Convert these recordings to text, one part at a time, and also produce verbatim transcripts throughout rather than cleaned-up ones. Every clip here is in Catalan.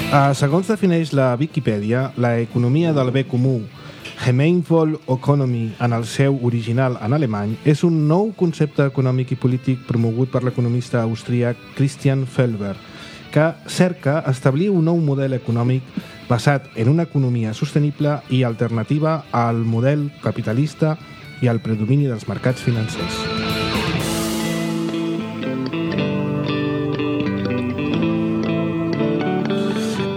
Uh, segons defineix la Viquipèdia, la economia del bé comú, Gemeinwohl-Ökonomie, en el seu original en alemany, és un nou concepte econòmic i polític promogut per l'economista austríac Christian Felber, que cerca establir un nou model econòmic basat en una economia sostenible i alternativa al model capitalista i al predomini dels mercats financers.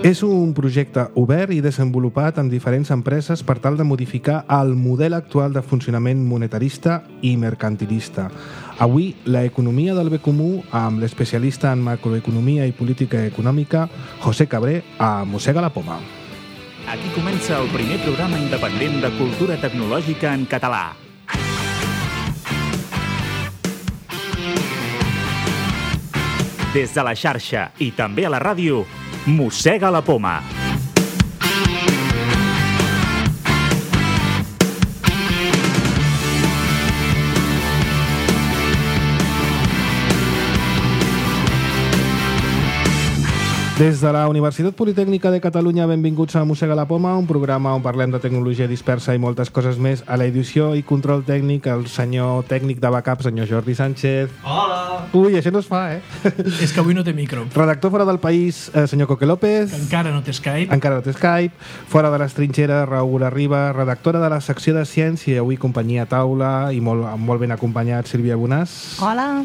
És un projecte obert i desenvolupat en diferents empreses per tal de modificar el model actual de funcionament monetarista i mercantilista. Avui, la economia del bé comú, amb l'especialista en macroeconomia i política econòmica, José Cabré, a Mossega la Poma. Aquí comença el primer programa independent de cultura tecnològica en català. Des de la xarxa i també a la ràdio, Mossega la Poma. Des de la Universitat Politècnica de Catalunya, benvinguts a Mossega la Poma, un programa on parlem de tecnologia dispersa i moltes coses més. A l'edició i control tècnic, el senyor tècnic de backup, senyor Jordi Sánchez. Hola! Ui, això no es fa, eh? És que avui no té micro. Redactor fora del país, eh, senyor Coque López. Que encara no té Skype. Encara no té Skype. Fora de les trinxeres, Raül Arriba, redactora de la secció de ciència, avui companyia a taula i molt, molt ben acompanyat, Sílvia Bonàs. Hola!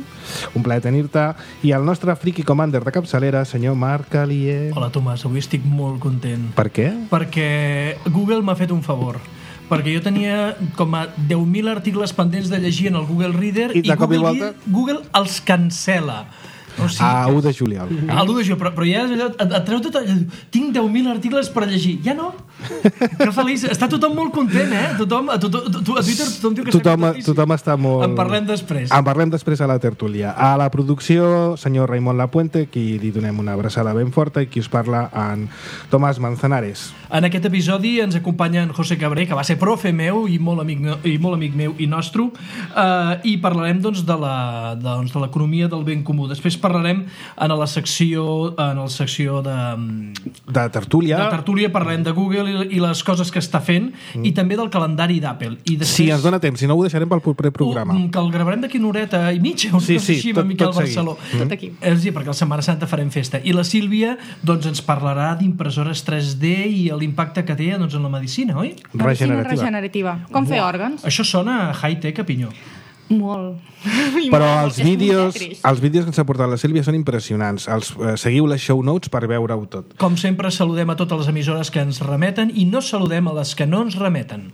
Un plaer tenir-te. I el nostre friki commander de capçalera, senyor Marc Alier. Hola, Tomàs, avui estic molt content. Per què? Perquè Google m'ha fet un favor. Perquè jo tenia com a deu mil articles pendents de llegir en el Google Reader i, i, i Google, volta... Google els cancel·la. O sigui, a u de juliol. A l'u de juliol, però, però ja et, et treu tot... Tinc deu mil articles per llegir. Ja no? Que feliç. Està tothom molt content, eh? Tothom, a, tothom, a Twitter tothom diu que tothom, està contentíssim. Tothom està molt... En parlem després. En parlem després a la tertúlia. A la producció, senyor Raimon Lapuente, qui li donem una abraçada ben forta, i qui us parla, en Tomàs Manzanares. En aquest episodi ens acompanya en José Cabré, que va ser profe meu i molt amic, i molt amic meu i nostre, eh, i parlarem doncs, de la, doncs, de l'economia del ben comú. Després parlarem en la secció, en la secció de... De tertúlia. De tertúlia parlarem de Google i, i les coses que està fent, mm. i també del calendari d'Apple. I després, sí, ens dona temps, si no ho deixarem pel proper programa. Uh, que el gravarem d'aquí una horeta i mitja, una sí, cosa sí, així, tot, amb Miquel tot Barceló. Mm. Tot aquí. És dir, perquè a la Setmana Santa farem festa. I la Sílvia doncs, ens parlarà d'impressores tres D i l'impacte que té doncs, en la medicina, oi? Medicina regenerativa. Com fer òrgans? Això sona high-tech, a pinyó. Molt. Però els vídeos, els vídeos que ens ha portat la Sílvia són impressionants. Els, eh, seguiu les show notes per veure-ho tot. Com sempre, saludem a totes les emissores que ens remeten i no saludem a les que no ens remeten.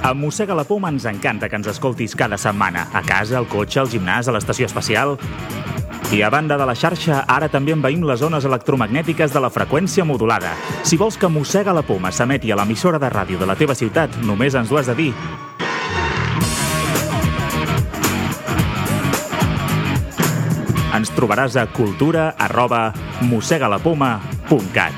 A Mossega la Poma ens encanta que ens escoltis cada setmana. A casa, al cotxe, al gimnàs, a l'estació espacial... I a banda de la xarxa, ara també envaïm les zones electromagnètiques de la freqüència modulada. Si vols que Mossega la Poma s'emeti a l'emissora de ràdio de la teva ciutat, només ens ho has de dir. Ens trobaràs a cultura arroba mossegalapoma punt cat.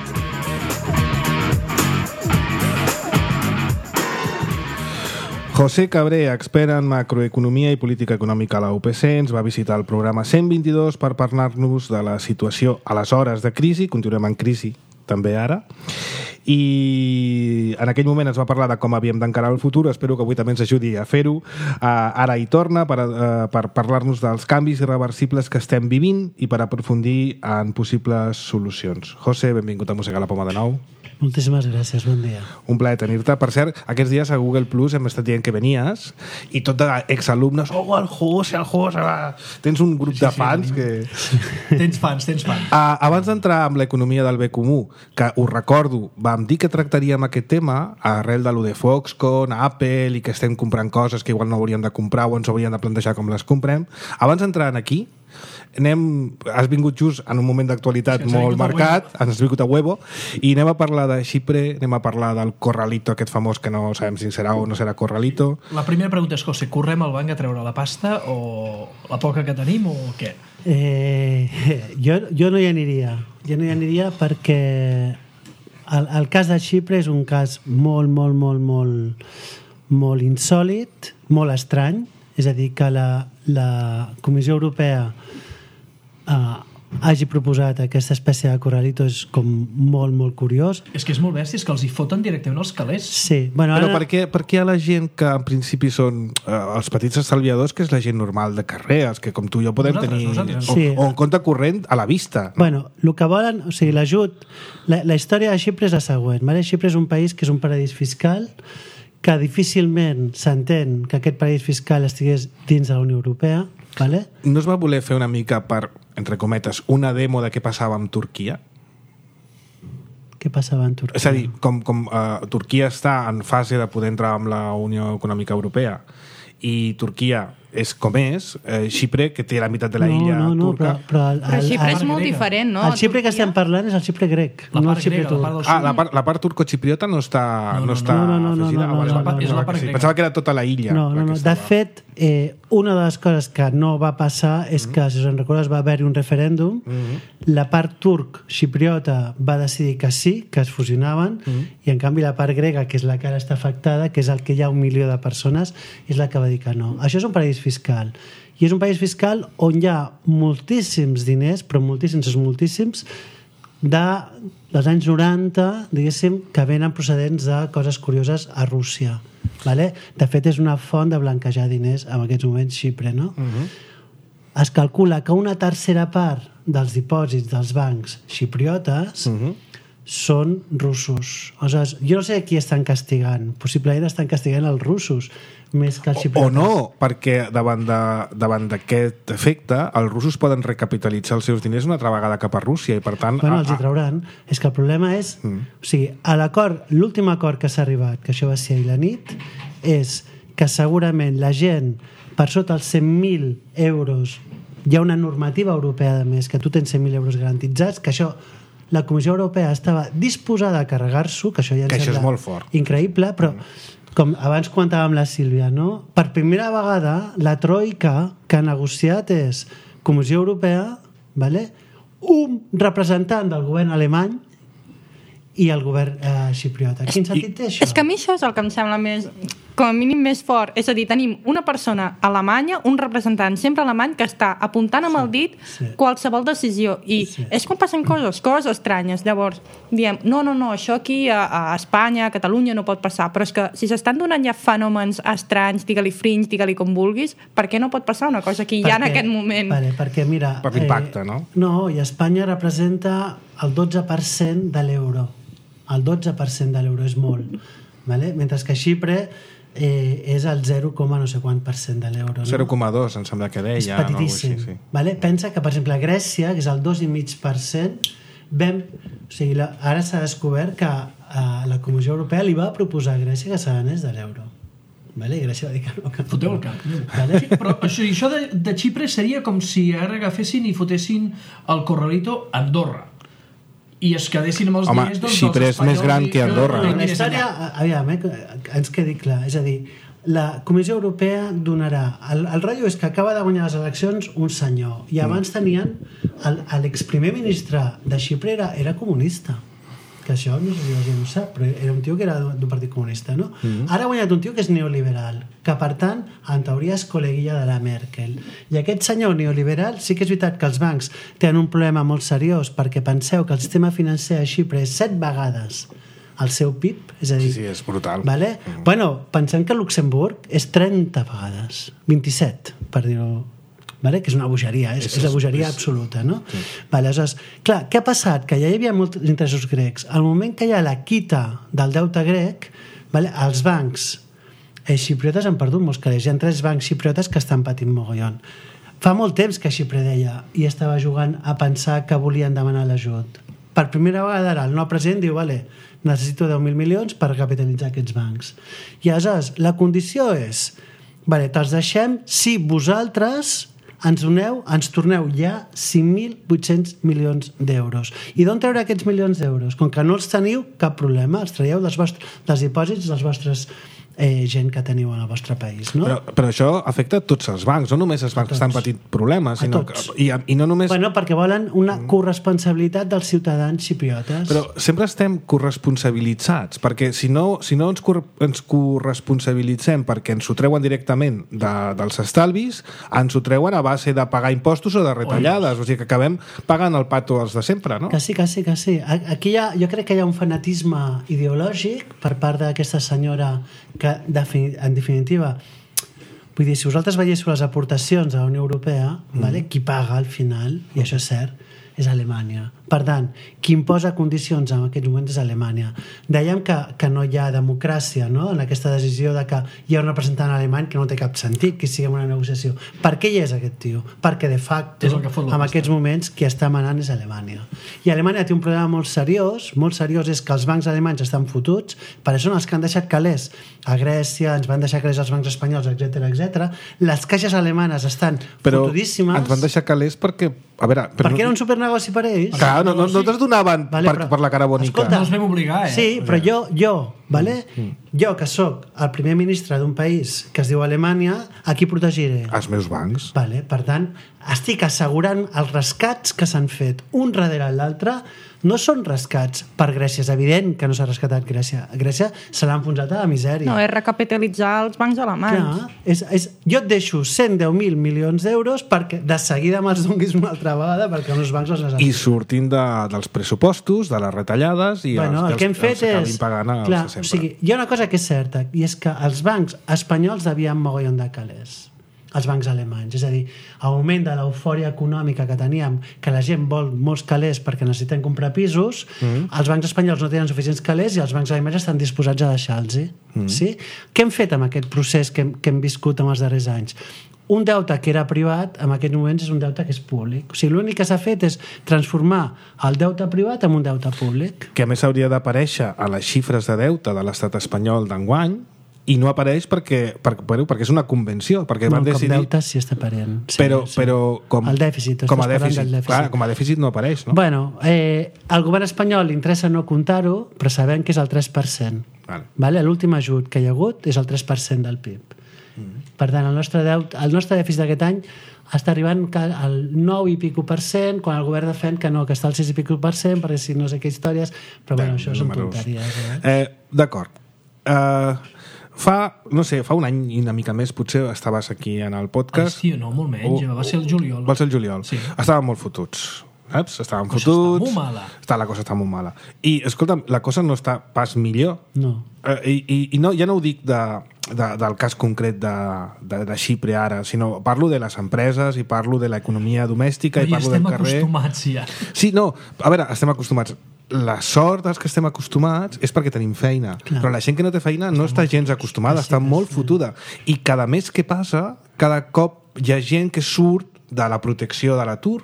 José Cabré, expert en macroeconomia i política econòmica a la U P C, ens va visitar el programa cent vint-i-dos per parlar-nos de la situació a les hores de crisi, continuem en crisi també ara, i en aquell moment ens va parlar de com havíem d'encarar el futur. Espero que avui també ens ajudi a fer-ho. Uh, ara hi torna per, uh, per parlar-nos dels canvis irreversibles que estem vivint i per aprofundir en possibles solucions. José, benvingut a Mossega la Poma de nou. Moltíssimes gràcies, bon dia. Un plaer tenir-te. Per cert, aquests dies a Google Plus hem estat dient que venies i tot d'exalumnes, oh, el José, el José, va. Tens un grup sí, de fans sí, que... Tens fans, tens fans. Uh, abans d'entrar amb l'economia del bé comú, que us recordo, vam dir que tractaríem aquest tema arrel de lo de Foxconn, Apple, i que estem comprant coses que igual no hauríem de comprar o ens hauríem de plantejar com les comprem. Abans d'entrar aquí, anem, has vingut just en un moment d'actualitat sí, molt marcat, ens has vingut a huevo, i anem a parlar de Xipre, anem a parlar del Corralito aquest famós que no sabem si serà o no serà Corralito. La primera pregunta és, José, correm al banc a treure la pasta o la poca que tenim o què? Eh, jo, jo no hi aniria. Jo no hi aniria perquè el, el cas de Xipre és un cas molt, molt, molt, molt, molt insòlit, molt estrany. És a dir, que la, la Comissió Europea uh, hagi proposat aquesta espècie de corralito és com molt, molt curiós. És que és molt bèstia, és que els hi foten directament els calés. Sí, bueno, Però ara... per què, per què hi ha la gent que en principi són eh, els petits estalviadors, que és la gent normal de carrer, els que com tu i jo podem Nosaltres, tenir nosaltres. o, Sí. o en compte corrent a la vista? Bueno, el que volen, o sigui, l'ajut... La, la història de Xipre és la següent. Vale? Xipre és un país que és un paradís fiscal, que difícilment s'entén que aquest paradís fiscal estigués dins de la Unió Europea. Vale? No es va voler fer una mica per, entre cometes, una demo de què passava amb Turquia? Què passava en Turquia? És a dir, com, com uh, Turquia està en fase de poder entrar amb la Unió Econòmica Europea i Turquia és com és, eh, Xipre, que té la meitat de la illa no, no, turca... Però, però, el, Però el, Xipre és el, molt grega. diferent, no? el Xipre que Turquia. estem parlant és el Xipre grec, La no el part Xipre grega, la turc. part del Ah, sud. la part, la part turco-xipriota no està, No, no, no, està no, no, no, no, afegida? no, no, Ah, vale, no, vale, no, és la pensava part que sí. grega. Pensava que era tota la illa. No, la no, que no. De estava. fet, eh, una de les coses que no va passar és que, si us en recordes, va haver-hi un referèndum, la part turc xipriota va decidir que sí, que es fusionaven, i en canvi la part grega, que és la que ara està afectada, que és el que hi ha un milió de persones, és la que va dir que no. Això és un paradís fiscal. I és un país fiscal on hi ha moltíssims diners, però moltíssims, és moltíssims, de, dels anys noranta, diguéssim, que venen procedents de coses curioses a Rússia. Vale? De fet, és una font de blanquejar diners en aquests moments Xipre, no? Uh-huh. Es calcula que una tercera part dels dipòsits dels bancs xipriotes uh-huh. són russos. Aleshores, jo no sé qui estan castigant. Possiblement estan castigant els russos més que els O, o xipriotes. no, perquè davant de- davant d'aquest efecte els russos poden recapitalitzar els seus diners una altra vegada cap a Rússia i per tant... Bueno, a- els hi a- trauran. És que el problema és... Mm. O sigui, a l'acord, l'últim acord que s'ha arribat, que això va ser ahir la nit, és que segurament la gent per sota els cent mil euros, hi ha una normativa europea de més, que tu tens cent mil euros garantitzats, que això la Comissió Europea estava disposada a carregar-s'ho, que això ja ens Que això és sembla molt fort. increïble, però com abans comentàvem la Sílvia, no? Per primera vegada la troika que ha negociat és Comissió Europea, vale? Un representant del govern alemany i el govern eh, xipriota. Quin sentit té això? És que a mi això és el que em sembla més, com a mínim més fort. És a dir, tenim una persona alemanya, un representant sempre alemany, que està apuntant amb el dit sí. qualsevol decisió. I Sí. és quan passen coses, coses estranyes. Llavors, diem, no, no, no, això aquí a, a Espanya, a Catalunya no pot passar. Però és que si s'estan donant ja fenòmens estranys, digue-li fringe, digue-li com vulguis, per què no pot passar una cosa aquí ja en aquest moment? Vale, perquè, mira... Per l'impacte, no? No, i Espanya representa el dotze per cent de l'euro. El dotze per cent de l'euro és molt. Vale? Mentre que Xipre eh, és el zero, no sé quant per cent de l'euro. No? zero coma dos em sembla que deia. És petitíssim. No? Així, sí. Vale? Pensa que, per exemple, a Grècia, que és el dos coma cinc per cent, vam, o sigui, la, ara s'ha descobert que a la Comissió Europea li va proposar a Grècia que s'anés de l'euro. Vale? I Grècia va dir que no. Que Foteu el cap. Vale? Però això, això de, de Xipre seria com si ara agafessin i fotessin el corralito a Andorra i es quedessin amb els Home, diners doncs, Xipre dels és més espanyols gran i- que Andorra. no, No, no, la història, aviam, eh, que ens quedi clar, és a dir, la Comissió Europea donarà... El, el rotllo és que acaba de guanyar les eleccions un senyor, i abans tenien... el- L'exprimer ministre de Xipre era, era comunista, que això no sé si la gent ho sap, però era un tio que era d'un partit comunista, no? Mm. Ara ha guanyat un tio que és neoliberal, que per tant, en teoria és col·leguilla de la Merkel. I aquest senyor neoliberal, sí que és veritat que els bancs tenen un problema molt seriós, perquè penseu que el sistema financer a Xipre és set vegades el seu P I B, és a dir... Sí, sí, és brutal. Vale? Mm. Bueno, pensem que Luxemburg és trenta vegades, vint-i-set, per dir-ho, vale? Que és una bogeria, és, és la bogeria és... absoluta, no? Sí. Vale, aleshores, clar, què ha passat? Que ja hi havia molts interessos grecs. Al moment que hi ha la quita del deute grec, vale? Els bancs eh, xipriotes han perdut molts calés. Hi ha tres bancs xipriotes que estan patint mogollon. Fa molt temps que Xipre deia i estava jugant a pensar que volien demanar l'ajut. Per primera vegada ara el nou president diu, vale, necessito deu mil milions per capitalitzar aquests bancs. I aleshores, la condició és, vale, te'ls deixem si vosaltres ens doneu, ens torneu ja cinc mil vuit-cents milions d'euros. I d'on treure aquests milions d'euros? Com que no els teniu, cap problema, els traieu dels, vostres, dels dipòsits dels vostres eh, gent que teniu en el vostre país, no? Però, però això afecta a tots els bancs, no només els bancs que estan patint problemes, sinó que, i, i no només... Bueno, perquè volen una corresponsabilitat dels ciutadans xipriotes. Però sempre estem corresponsabilitzats, perquè si no, si no ens, cor ens corresponsabilitzem perquè ens ho treuen directament de, dels estalvis, ens ho treuen a base de pagar impostos o de retallades, o sigui que acabem pagant el pato els de sempre, no? Que sí, que sí, que sí. Aquí hi ha, jo crec que hi ha un fanatisme ideològic per part d'aquesta senyora que, en definitiva, vull dir, si vosaltres veiéssiu les aportacions de la Unió Europea, mm. vale, qui paga al final, i això és cert, és Alemanya. Per tant, qui imposa condicions en aquests moments és Alemanya. Dèiem que, que no hi ha democràcia, no?, en aquesta decisió de que hi ha un representant alemany que no té cap sentit que sigui en una negociació. Per què hi és aquest tio? Perquè de facto, en aquests moments, qui està manant és Alemanya. I Alemanya té un problema molt seriós, molt seriós és que els bancs alemanys estan fotuts, per això són els que han deixat calés a Grècia, ens van deixar calés els bancs espanyols, etcètera, etcètera. Les caixes alemanes estan però fotudíssimes. Però ens van deixar calés perquè... A veure, però perquè no... era un supernegoci per ells. Clar, no, no, no te'ls donaven vale, per, però, per la cara bonica. Escolta, no els vam obligar, eh? Sí, però jo, jo, vale? Mm. jo que sóc el primer ministre d'un país que es diu Alemanya, a qui protegiré? Els meus bancs. Vale, per tant, estic assegurant els rescats que s'han fet un darrere l'altre. No són rescats per Grècia, és evident que no s'ha rescatat Grècia. Grècia se l'ha enfonsat a la misèria. No, és recapitalitzar els bancs alemanys. Clar, és, és, jo et deixo cent deu mil milions d'euros perquè de seguida me'ls donguis una altra vegada perquè els bancs els necessiten. I sortint de, dels pressupostos, de les retallades i bueno, els, el que hem els, fet els acabin és, pagant els clar, de sempre. O sigui, hi ha una cosa que és certa i és que els bancs espanyols devien mogollon de calés, els bancs alemanys, és a dir, a augment de l'eufòria econòmica que teníem, que la gent vol molts calés perquè necessiten comprar pisos, mm. els bancs espanyols no tenen suficients calés i els bancs alemanys estan disposats a deixar-los. Mm. Sí? Què hem fet amb aquest procés que hem, que hem viscut en els darrers anys? Un deute que era privat, en aquests moments és un deute que és públic. O sigui, l'únic que s'ha fet és transformar el deute privat en un deute públic. Que a més hauria d'aparèixer a les xifres de deute de l'estat espanyol d'enguany, i no apareix perquè, perquè, perquè és una convenció, perquè no, van decidir... com deute sí està aparent. Sí, però, sí. però com, el dèficit, com a dèficit, del dèficit. Clar, com a dèficit no apareix, no? Bueno, eh, al govern espanyol li interessa no comptar-ho, però sabem que és el tres per cent. Vale. Vale? L'últim ajut que hi ha hagut és el tres per cent del P I B. Mm. Per tant, el nostre, deute, el nostre dèficit d'aquest any està arribant al nou i pico per cent, quan el govern defèn que no, que està al sis i pico per cent, perquè si no sé què històries, però bueno, això són tonteries. Eh? Eh, D'acord. Eh... Fa, no sé, fa un any i una mica més potser estaves aquí en el podcast. Ai, sí, no, molt menys, o, va ser el juliol. Va ser el juliol. Sí. Estàvem molt fotuts. Saps? Estàvem fotuts. Està molt mala. Està, la cosa està molt mala. I, escolta'm, la cosa no està pas millor. No. Eh, i, i, I no, ja no ho dic de, de, del cas concret de, de, de Xipre ara, sinó parlo de les empreses i parlo de l'economia domèstica no, i parlo del carrer. I estem acostumats ja. Sí, no, a veure, estem acostumats. La sort dels que estem acostumats és perquè tenim feina. Clar. Però la gent que no té feina no està, està gens acostumada, està molt fotuda. I cada mes que passa, cada cop hi ha gent que surt de la protecció de l'atur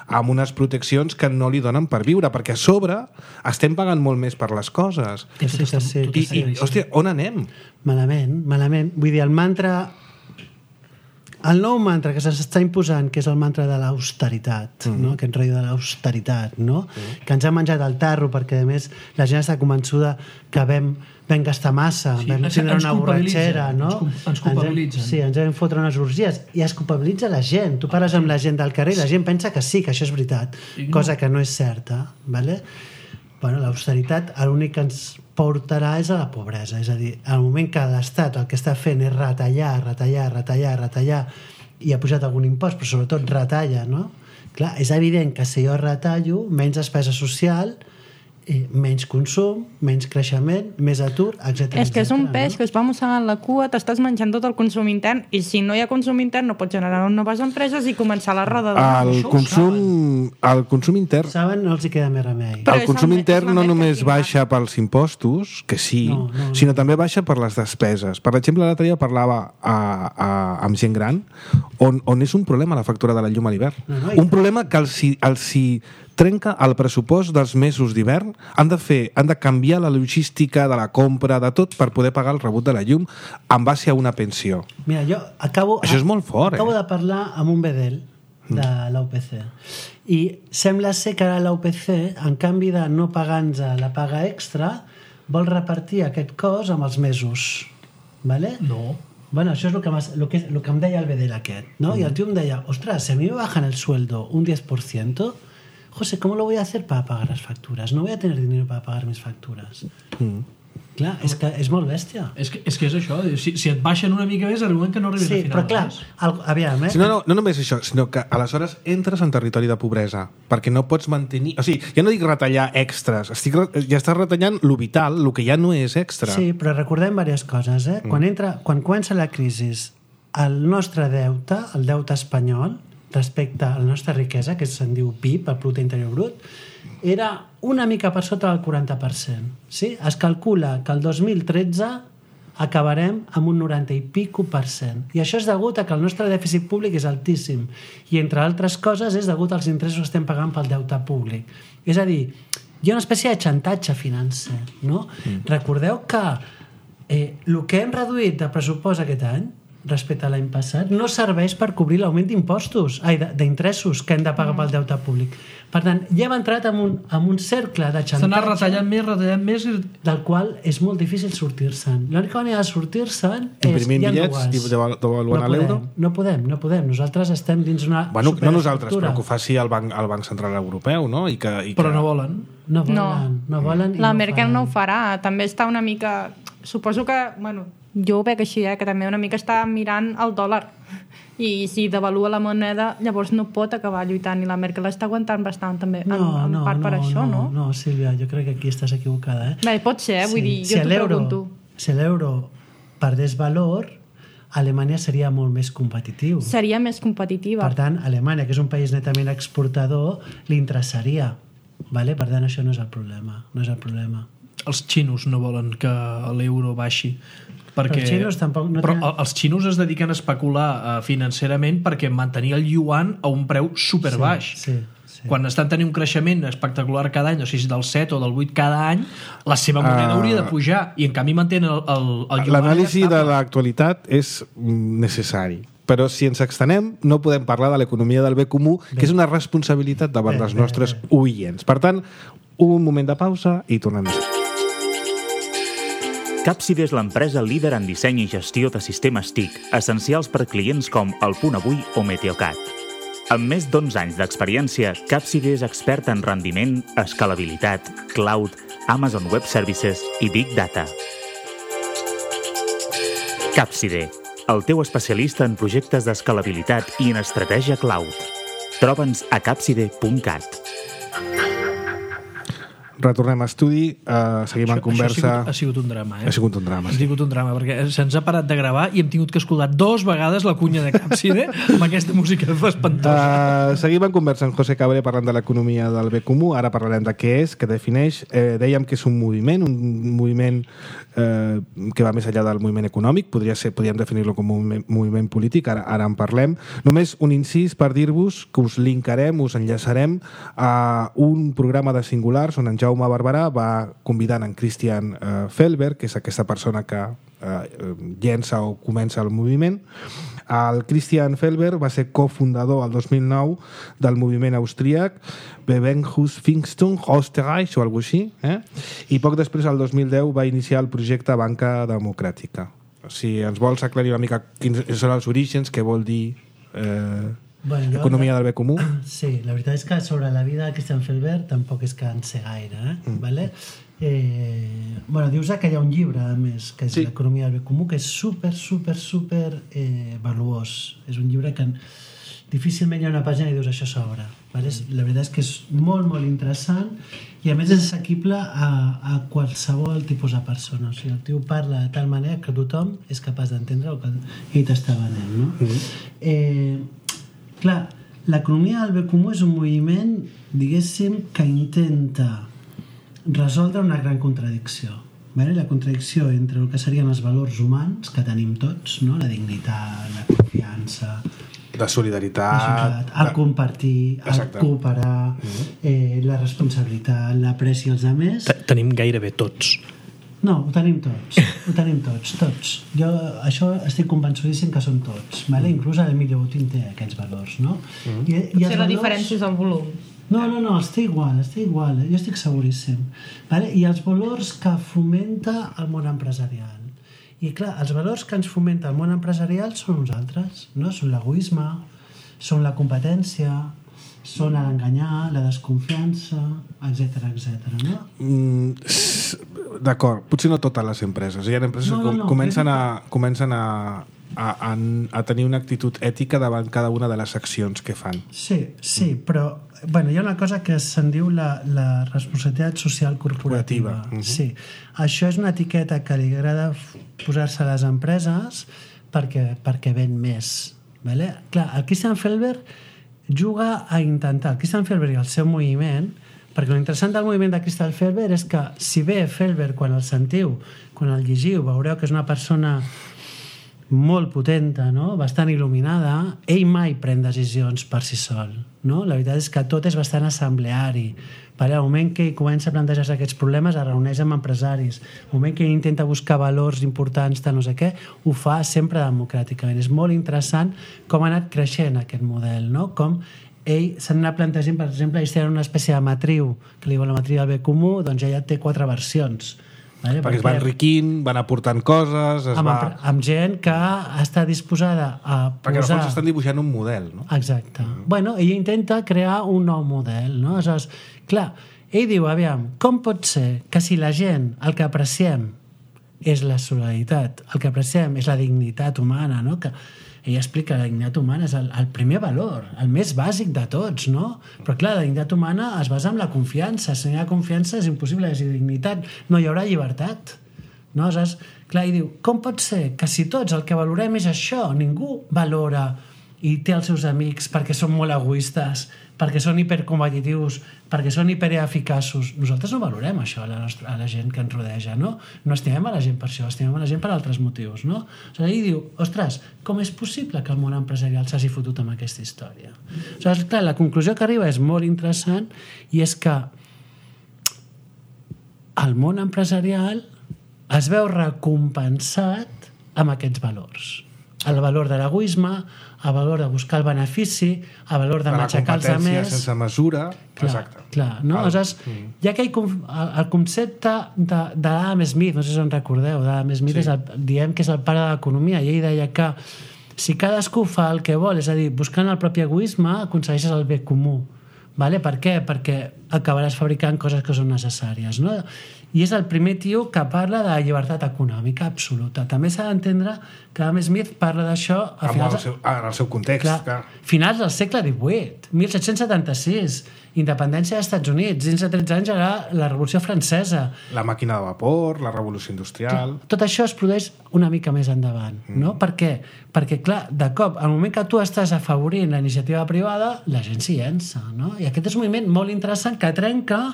amb unes proteccions que no li donen per viure, perquè a sobre estem pagant molt més per les coses. Sí, sí, sí, I, i, hòstia, on anem? Malament, malament. Vull dir, el mantra... El nou mantra que s'està imposant, que és el mantra de l'austeritat, mm. no? Aquest rotllo de l'austeritat, no? Mm. Que ens ha menjat el tarro perquè, a més, la gent està convençuda que vam, vam gastar massa, sí, vam tindre una borratxera, no? Ens, ens culpabilitzen. Ens, sí, ens vam fotre unes orgies i es culpabilitza la gent. Tu parles amb la gent del carrer i la gent pensa que sí, que això és veritat, no. Cosa que no és certa, ¿vale? Bueno, l'austeritat l'únic que ens portarà és a la pobresa, és a dir, al moment que l'Estat el que està fent és retallar, retallar, retallar, retallar, i ha pujat algun impost, però sobretot retalla, no? Clar, és evident que si jo retallo, menys despesa social, eh, menys consum, menys creixement, més atur, etcètera. És que és un peix no? que es va mossegant la cua, t'estàs menjant tot el consum intern, i si no hi ha consum intern no pots generar noves empreses i començar la roda de... El consum, el consum intern... Saben, no els hi queda més remei. Però el consum intern no només baixa pels impostos, que sí, no, no, no. sinó també baixa per les despeses. Per exemple, l'altre dia parlava a, a, amb gent gran on, on és un problema la factura de la llum a l'hivern. No, no, un problema que els, els hi trenca el pressupost dels mesos d'hivern. Han de fer, han de canviar la logística de la compra, de tot, per poder pagar el rebut de la llum en base a una pensió. Mira, jo acabo... Això és molt fort, acabo eh? de parlar amb un bedel de l'A U P C. I sembla ser que ara l'A U P C, en canvi de no pagar-nos la paga extra, vol repartir aquest cost amb els mesos. ¿vale? No. Bueno, això és el que, lo que, lo que em deia el Bedel aquest, ¿no? Mm. Y el tío em deia, ostras, si a mí me bajan el sueldo un diez por ciento, José, ¿cómo lo voy a hacer para pagar las facturas? No voy a tener dinero para pagar mis facturas. Mm. Clar, és que és molt bèstia. És que és, que és això, si, si et baixen una mica més arriben que no arribes sí, al final. Sí, però clar, el, aviam, eh? Si no, no, no només això, sinó que aleshores entres en territori de pobresa, perquè no pots mantenir... O sigui, ja no dic retallar extras, estic, ja estàs retallant lo vital, lo que ja no és extra. Sí, però recordem diverses coses, eh? Mm. Quan, entra, quan comença la crisi, el nostre deute, el deute espanyol, respecte a la nostra riquesa, que se'n diu P I B, el Producte Interior Brut, era una mica per sota del quaranta per cent. Sí? Es calcula que el dos mil tretze acabarem amb un noranta i pico per cent. I això és degut a que el nostre dèficit públic és altíssim. I, entre altres coses, és degut als interessos que estem pagant pel deute públic. És a dir, hi ha una espècie de xantatge financer. No? Mm. Recordeu que eh, el que hem reduït de pressupost aquest any respecte a l'any passat, no serveix per cobrir l'augment d'impostos, ai, d'interessos que hem de pagar pel deute públic. Per tant, ja hem entrat en un, en un cercle de xantatge... S'ha anat retallant més, retallant més... I... del qual és molt difícil sortir-se'n. L'única manera de sortir-se'n és... Imprimint bitllets i devaluant no l'euro? No podem, no podem. Nosaltres estem dins una... Bueno, no nosaltres, però que ho faci el Banc, el Banc Central Europeu, no? I que, i que... Però no volen. No volen, no, no volen. La no Merkel faran. no ho farà. També està una mica... Suposo que... Bueno, jo ho veig així, eh, que també una mica està mirant el dòlar. I si devalua la moneda, llavors no pot acabar lluitant, i la Merkel està aguantant bastant també, no, en, en no, part no, per això, no? No, no, Sílvia, jo crec que aquí estàs equivocada, eh? Bé, pot ser, vull sí. dir, jo si t'ho pregunto. Si l'euro perdés valor, Alemanya seria molt més competitiu. Seria més competitiva. Per tant, Alemanya, que és un país netament exportador, li interessaria. Vale? Per tant, això no és el problema. No és el problema. Els xinos no volen que l'euro baixi. Perquè... Els xinos tampoc no però tenen... els xinos es dediquen a especular uh, financerament perquè mantenir el yuan a un preu superbaix. Sí, sí, sí. Quan estan tenint un creixement espectacular cada any, no sé si del set o del vuit cada any, la seva moneda uh, hauria de pujar, i en canvi mantenen el, el, el yuan. L'anàlisi de l'actualitat és necessari. Però si ens extenem, no podem parlar de l'economia del bé comú, bé. Que és una responsabilitat davant bé, dels nostres bé, bé. oients. Per tant, un moment de pausa i tornem. Capside és l'empresa líder en disseny i gestió de sistemes T I C, essencials per clients com El Punt Avui o Meteocat. Amb més d'onze anys d'experiència, Capside és expert en rendiment, escalabilitat, cloud, Amazon Web Services i Big Data. Capside, el teu especialista en projectes d'escalabilitat i en estratègia cloud. Troba'ns a capside punt cat. Retornem a estudi, uh, seguim això, en conversa... Això ha sigut, ha sigut un drama, eh? Ha sigut un drama, sí. Ha sigut un drama, perquè se'ns ha parat de gravar i hem tingut que escoltar dos vegades la cunya de Capside amb aquesta música espantosa. Uh, seguim en conversa amb José Cabré parlant de l'economia del bé comú. Ara parlarem de què és, què defineix. Eh, dèiem que és un moviment, un moviment eh, que va més enllà del moviment econòmic. Podria ser, podríem definir-lo com un moviment, moviment polític, ara, ara en parlem. Només un incís per dir-vos que us linkarem, us enllaçarem a un programa de Singulars on en Jaume Barberà va convidant en Christian eh, Felber, que és aquesta persona que eh, llença o comença el moviment. El Christian Felber va ser cofundador el dos mil nou del moviment austríac Bewegungsfindung Österreich o alguna així, eh? I poc després, el dos mil deu, va iniciar el projecte Banca Democràtica. Si ens vols aclarir una mica quins són els orígens, què vol dir eh, bueno, jo, economia del bé comú? Sí, la veritat és que sobre la vida de Christian Felber tampoc és que en sé gaire, eh? Mm. Vale? Eh, bueno, dius que hi ha un llibre, a més, que és sí. l'economia del bé comú, que és super, super, super eh, valuós. És un llibre que difícilment hi ha una pàgina i dius això s'obre. Vale? La veritat és que és molt, molt interessant i a més és assequible a, a qualsevol tipus de persona. O sigui, el tio parla de tal manera que tothom és capaç d'entendre el que ell t'està venent, no? Mm-hmm. Eh, clar, l'economia del bé comú és un moviment, diguéssim, que intenta resoldre una gran contradicció. Vale? La contradicció entre el que serien els valors humans que tenim tots, no? La dignitat, la confiança, la solidaritat, el compartir, el Exacte. cooperar, mm-hmm. eh, la responsabilitat, l'apreci als altres. Tenim gairebé tots. No, ho tenim tots, ho tenim tots, tots. Jo això estic convençudíssim que són tots, vale? Inclús el Emilio Botín té aquests valors, no? Mm-hmm. I, i Potser la valors... diferència és el volum. No, no, no, està igual, està igual, jo estic seguríssim. Vale? I els valors que fomenta el món empresarial. I clar, els valors que ens fomenta el món empresarial són uns altres, no? Són l'egoisme, són la competència, són l'enganyar, la desconfiança, etcètera, etcètera, no? Mm, d'acord, potser no totes les empreses. Hi ha empreses no, no, no, que comencen, a, comencen a, a, a, a tenir una actitud ètica davant cada una de les accions que fan. Sí, sí, mm. però bueno, hi ha una cosa que se'n diu la, la responsabilitat social corporativa. Uh-huh. Sí. Això és una etiqueta que li agrada posar-se a les empreses perquè, perquè ven més. Vale? Clar, el Christian Felber juga a intentar, el Christian Felber i el seu moviment, perquè l'interessant del moviment de Christian Felber és que si bé Felber, quan el sentiu, quan el llegiu, veureu que és una persona molt potenta, no? Bastant il·luminada, ell mai pren decisions per si sol, no? La veritat és que tot és bastant assembleari. Al moment que ell comença a plantejar aquests problemes es reuneix amb empresaris, al moment que ell intenta buscar valors importants de no sé què, ho fa sempre democràticament. És molt interessant com ha anat creixent aquest model, no? Com ell s'ha anat plantejant, per exemple, ells tenen una espècie de matriu que li diuen la matriu del bé comú, doncs ella té quatre versions. Vale? Perquè, perquè es va enriquint, van aportant coses... Es amb, va... amb gent que està disposada a posar... Perquè al fons estan dibuixant un model, no? Exacte. Mm. Bueno, ell intenta crear un nou model, no? Aleshores, clar, ell diu, aviam, com pot ser que si la gent el que apreciem és la solidaritat, el que apreciem és la dignitat humana, no? Que ell explica que la dignitat humana és el, el primer valor, el més bàsic de tots, no? Però clar, la dignitat humana es basa en la confiança. Si no hi ha confiança és impossible que hi hagi dignitat. No hi haurà llibertat. No? Aleshores, clar, ell diu, com pot ser que si tots el que valorem és això, ningú valora i té els seus amics perquè són molt egoistes, perquè són hipercompetitius, perquè són hipereficaços. Nosaltres no valorem això a la, nostra, a la gent que ens rodeja, no? No estimem a la gent per això, estimem a la gent per altres motius, no? O sigui, ell diu, ostres, com és possible que el món empresarial s'hagi fotut amb aquesta història? O sigui, clar, la conclusió que arriba és molt interessant i és que el món empresarial es veu recompensat amb aquests valors. El valor de l'egoisme, el valor de buscar el benefici, el valor de matxacar els altres. La competència sense mesura. Clar, exacte. Clar, no? Aleshores, mm. hi ha aquell, el, el concepte de, de Adam Smith, no sé si en recordeu, Adam Smith sí. és el, diem que és el pare de l'economia, i ell deia que si cadascú fa el que vol, és a dir, buscant el propi egoisme, aconsegueixes el bé comú. Vale? Per què? Perquè acabaràs fabricant coses que són necessàries, no? I és el primer tio que parla de llibertat econòmica absoluta. També s'ha d'entendre que Adam Smith parla d'això a finals... Seu, en el seu context. Clar, clar. Finals del segle divuit, mil set-cents setanta-sis, independència dels Estats Units, dins de tretze anys era la Revolució Francesa. La màquina de vapor, la Revolució Industrial... Clar, tot això es produeix una mica més endavant, mm. no? Per què? Perquè, clar, de cop, al moment que tu estàs afavorint la iniciativa privada, la gent s'hi llença, no? I aquest és un moviment molt interessant que trenca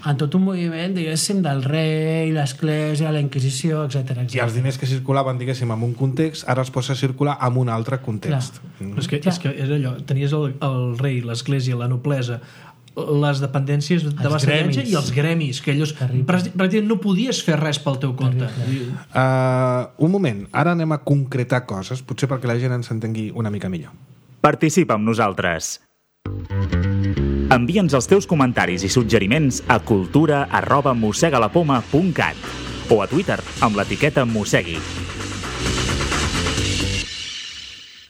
en tot un moviment, diguéssim, del rei, l'església, la Inquisició, etcètera, etcètera. I els diners que circulaven, diguéssim, en un context, ara es posa a circular en un altre context. Mm. És, que, és que és allò, tenies el, el rei, l'església, la noblesa, les dependències de vassallatge i els gremis, que ells pràcticament no podies fer res pel teu compte. Uh, un moment, ara anem a concretar coses, potser perquè la gent ens entengui una mica millor. Participa amb nosaltres. Envia'ns els teus comentaris i suggeriments a cultura arroba mossegalapoma punt cat o a Twitter amb l'etiqueta mossegui.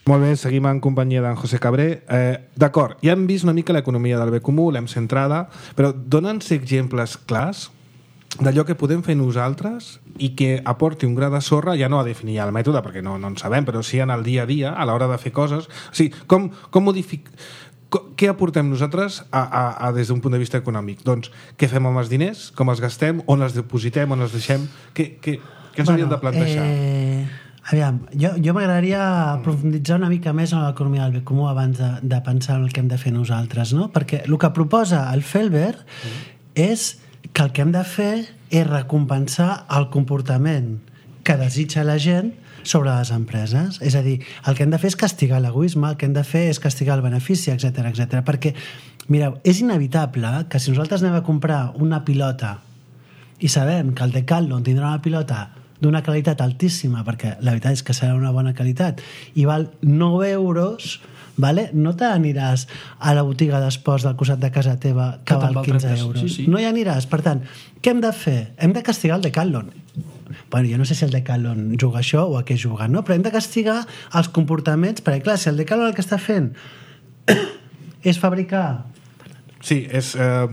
Molt bé, seguim en companyia d'en José Cabré. Eh, D'acord, ja hem vist una mica l'economia del bé comú, l'hem centrada, però dona'ns exemples clars d'allò que podem fer nosaltres i que aporti un gra de sorra, ja no a definir el mètode, perquè no, no en sabem, però sí en el dia a dia, a l'hora de fer coses. O sigui, com, com modific... Què aportem nosaltres a, a, a, des d'un punt de vista econòmic? Doncs què fem amb els diners? Com els gastem? On els depositem? On els deixem? Què, què, què ens bueno, hauríem de plantejar? Eh, aviam, jo, jo m'agradaria profunditzar una mica més en l'economia del bé comú abans de, de pensar en el que hem de fer nosaltres, no? Perquè el que proposa el Felber mm. és que el que hem de fer és recompensar el comportament que desitja la gent sobre les empreses. És a dir, el que hem de fer és castigar l'egoisme, el que hem de fer és castigar el benefici, etcètera, etcètera. Perquè, mireu, és inevitable que si nosaltres anem a comprar una pilota i sabem que el Decathlon tindrà una pilota d'una qualitat altíssima, perquè la veritat és que serà una bona qualitat, i val nou euros, vale? No t'aniràs a la botiga d'esports del costat de casa teva que val quinze euros. Sí, sí. No hi aniràs. Per tant, què hem de fer? Hem de castigar el Decathlon. Bueno, jo no sé si el Decathlon juga això o a què juga, no? Però hem de castigar els comportaments, perquè clar, si el Decathlon el que està fent és fabricar... Sí, és... Eh,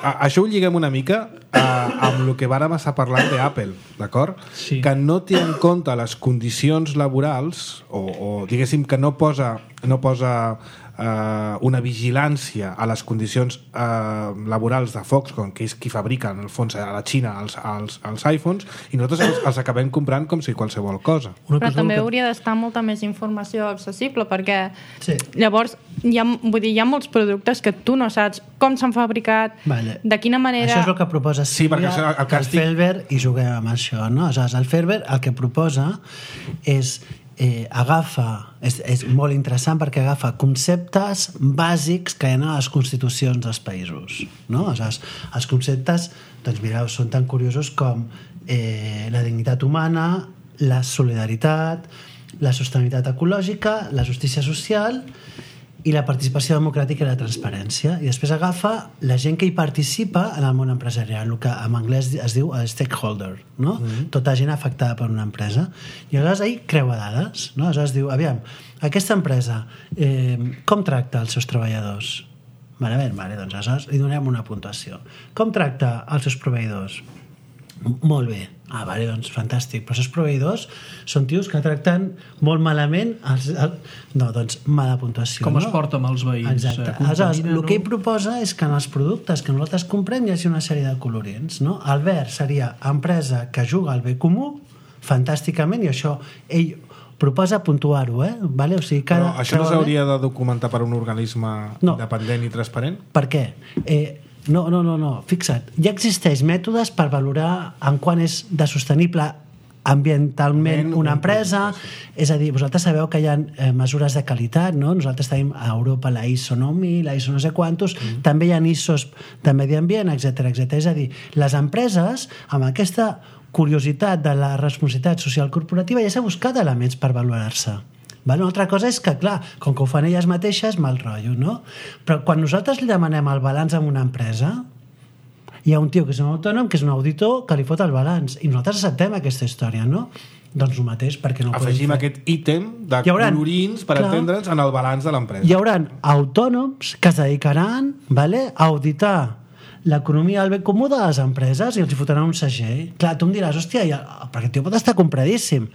a, això ho lliguem una mica eh, amb el que vàrem estar parlant d'Apple, d'acord? Sí. Que no té en compte les condicions laborals o, o diguéssim que no posa, no posa eh, una vigilància a les condicions eh, laborals de Foxconn, que és qui fabrica en el fons a la Xina els, els, els iPhones, i nosaltres els, els acabem comprant com si qualsevol cosa. Una Però cosa també que... hauria d'estar molta més informació accessible, perquè sí. llavors hi ha, vull dir, hi ha molts productes que tu no saps com s'han fabricat, vale. de quina manera... Això és el que proposa sí, Sílvia, el, el, el Felber, i juguem amb això, no? Aleshores, el Felber el que proposa és eh, agafa, és, és molt interessant perquè agafa conceptes bàsics que hi ha a les constitucions dels països, no? Aleshores, els conceptes, doncs mireu, són tan curiosos com eh, la dignitat humana, la solidaritat, la sostenibilitat ecològica, la justícia social i la participació democràtica i la transparència. I després agafa la gent que hi participa en el món empresarial, el que en anglès es diu el stakeholder, no? Mm-hmm. Tota gent afectada per una empresa. I aleshores ahir creua dades, no? Aleshores diu, aviam, aquesta empresa eh, com tracta els seus treballadors? Vale, bé, vale, doncs aleshores li donem una puntuació. Com tracta els seus proveïdors? Molt bé. Ah, vale, doncs fantàstic. Però els seus proveïdors són tios que tracten molt malament els, el... no, doncs mala puntuació. Com no? es porta amb els veïns? Exacte. Aleshores, el que ell proposa és que en els productes que nosaltres comprem hi hagi una sèrie de colorins, no? El verd seria empresa que juga al bé comú fantàsticament, i això ell proposa puntuar-ho, eh? Vale? O sigui, cada... Però això no s'hauria de documentar per un organisme no. independent i transparent? Per què? Eh, No, no, no, no, fixa't, ja existeix mètodes per valorar en quant és de sostenible ambientalment una empresa, és a dir, vosaltres sabeu que hi ha eh, mesures de qualitat, no? Nosaltres tenim a Europa la I S O nou mil, la I S O no sé quantos, mm. també hi ha I S Os de medi ambient, etcètera, etcètera. És a dir, les empreses, amb aquesta curiositat de la responsabilitat social corporativa, ja s'ha buscat elements per valorar-se. Vale? Una altra cosa és que, clar, com que ho fan elles mateixes, mal rotllo, no? Però quan nosaltres li demanem el balanç a una empresa, hi ha un tio que és un autònom, que és un auditor, que li fot el balanç. I nosaltres acceptem aquesta història, no? Doncs el mateix, perquè no ho podem fer. Afegim aquest ítem de colorins per clar, entendre'ns en el balanç de l'empresa. Hi haurà autònoms que es dedicaran, vale, a auditar l'economia del bé comú de les empreses i els hi fotran un segell. Clar, tu em diràs, hòstia, ja, perquè el tio pot estar compradíssim.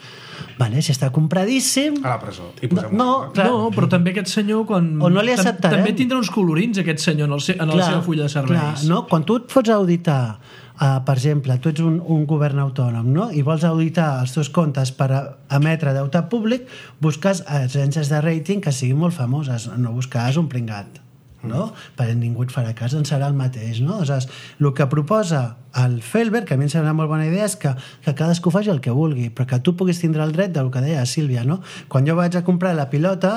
Vale, si està compradíssim... A la presó. I no, no, clar. no, però també aquest senyor, quan... O no li acceptarem. També tindrà uns colorins, aquest senyor, en, el se... en clar, la seva fulla de serveis. Clar, no? Quan tu et fots a auditar, uh, per exemple, tu ets un, un govern autònom, no? I vols auditar els teus comptes per a, emetre deute públic, busques agències de rating que siguin molt famoses, no buscaràs un pringat. No? Perquè ningú et farà cas, en serà el mateix, no? Aleshores, el que proposa el Felber, que a mi em sembla una molt bona idea, és que, que cadascú faci el que vulgui, però que tu puguis tindre el dret del que deia Sílvia, no? Quan jo vaig a comprar la pilota,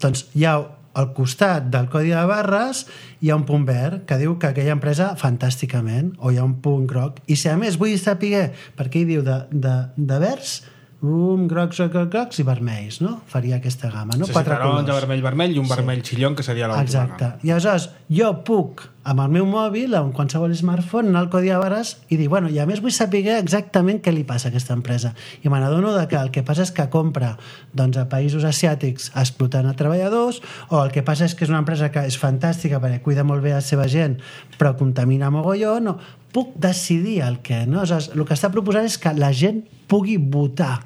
doncs hi ha al costat del codi de barres hi ha un punt verd que diu que aquella empresa fantàsticament, o hi ha un punt groc, i si a més vull saber per què hi diu de, de, de verds, um, grocs, grocs, grocs i vermells, no? Faria aquesta gamma, no? Sí, Quatre sí, taronja, colors. vermell, vermell i un Sí. vermell xillón, que seria l'última Exacte. gamma. I aleshores jo puc, amb el meu mòbil, amb qualsevol smartphone, anar al codi de barres i dir, bueno, i a més vull saber exactament què li passa a aquesta empresa. I me n'adono que el que passa és que compra doncs, a països asiàtics explotant a treballadors, o el que passa és que és una empresa que és fantàstica perquè cuida molt bé la seva gent, però contamina mogolló, no. Puc decidir el què, no? Aleshores, el que està proposant és que la gent pugui votar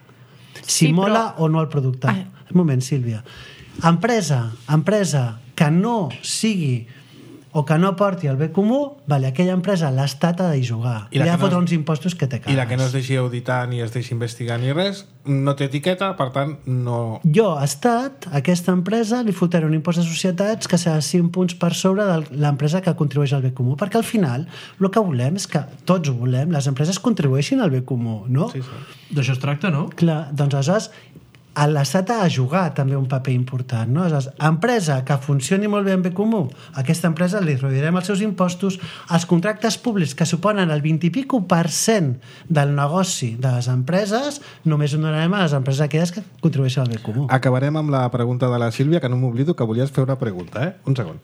si Sí, mola però... o no el producte. Ai. Un moment, Sílvia. Empresa, empresa que no sigui o que no aporti el bé comú, vale, aquella empresa l'estat ha de jugar. I, I ha de fotre no es... uns impostos que te cagues. I la que no es deixi auditar ni es deixi investigar ni res, no té etiqueta, per tant, no... Jo, estat, a aquesta empresa li fotré un impost de societats que serà cinc punts per sobre de l'empresa que contribueix al bé comú, perquè al final el que volem és que tots ho volem, les empreses contribueixin al bé comú, no? Sí, sí. D'això es tracta, no? Clar, doncs aleshores l'Estat ha de jugar també un paper important, no? És empresa que funcioni molt bé en bé comú, a aquesta empresa li reduirem els seus impostos, els contractes públics que suponen el vint i pico per cent del negoci de les empreses, només ho donarem a les empreses aquelles que contribueixen al bé comú. Acabarem amb la pregunta de la Sílvia, que no m'oblido que volies fer una pregunta, eh? Un segon.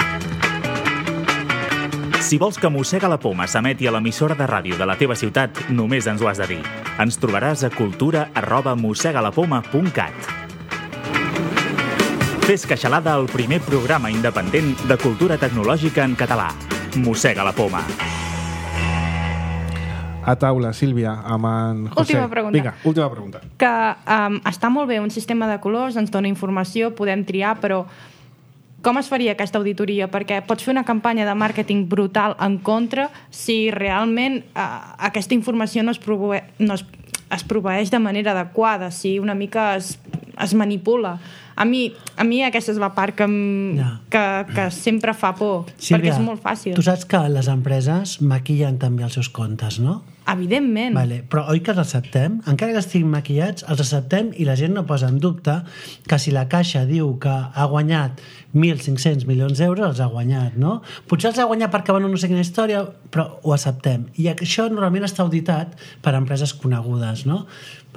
Si vols que Mossega la Poma s'emeti a l'emissora de ràdio de la teva ciutat, només ens ho has de dir. Ens trobaràs a cultura arroba mossegalapoma punt cat. Fes Queixalada, el primer programa independent de cultura tecnològica en català. Mossega la Poma. A taula, Sílvia, amb en José. Última pregunta. Vinga, última pregunta. Que um, està molt bé un sistema de colors, ens dona informació, podem triar, però com es faria aquesta auditoria? Perquè pots fer una campanya de màrqueting brutal en contra si realment uh, aquesta informació no es, prove... no es, es proveeix de manera adequada, si una mica es, es manipula. A mi, a mi aquesta és la part que, em, ja. que, que sempre fa por, Sílvia, perquè és molt fàcil. Tu saps que les empreses maquillen també els seus comptes, no? Evidentment. Vale, però oi que els acceptem? Encara que estiguin maquillats, els acceptem i la gent no posa en dubte que si la Caixa diu que ha guanyat mil cinc-cents milions d'euros, els ha guanyat, no? Potser els ha guanyat perquè van no sé quina història, però ho acceptem. I això normalment està auditat per empreses conegudes, no?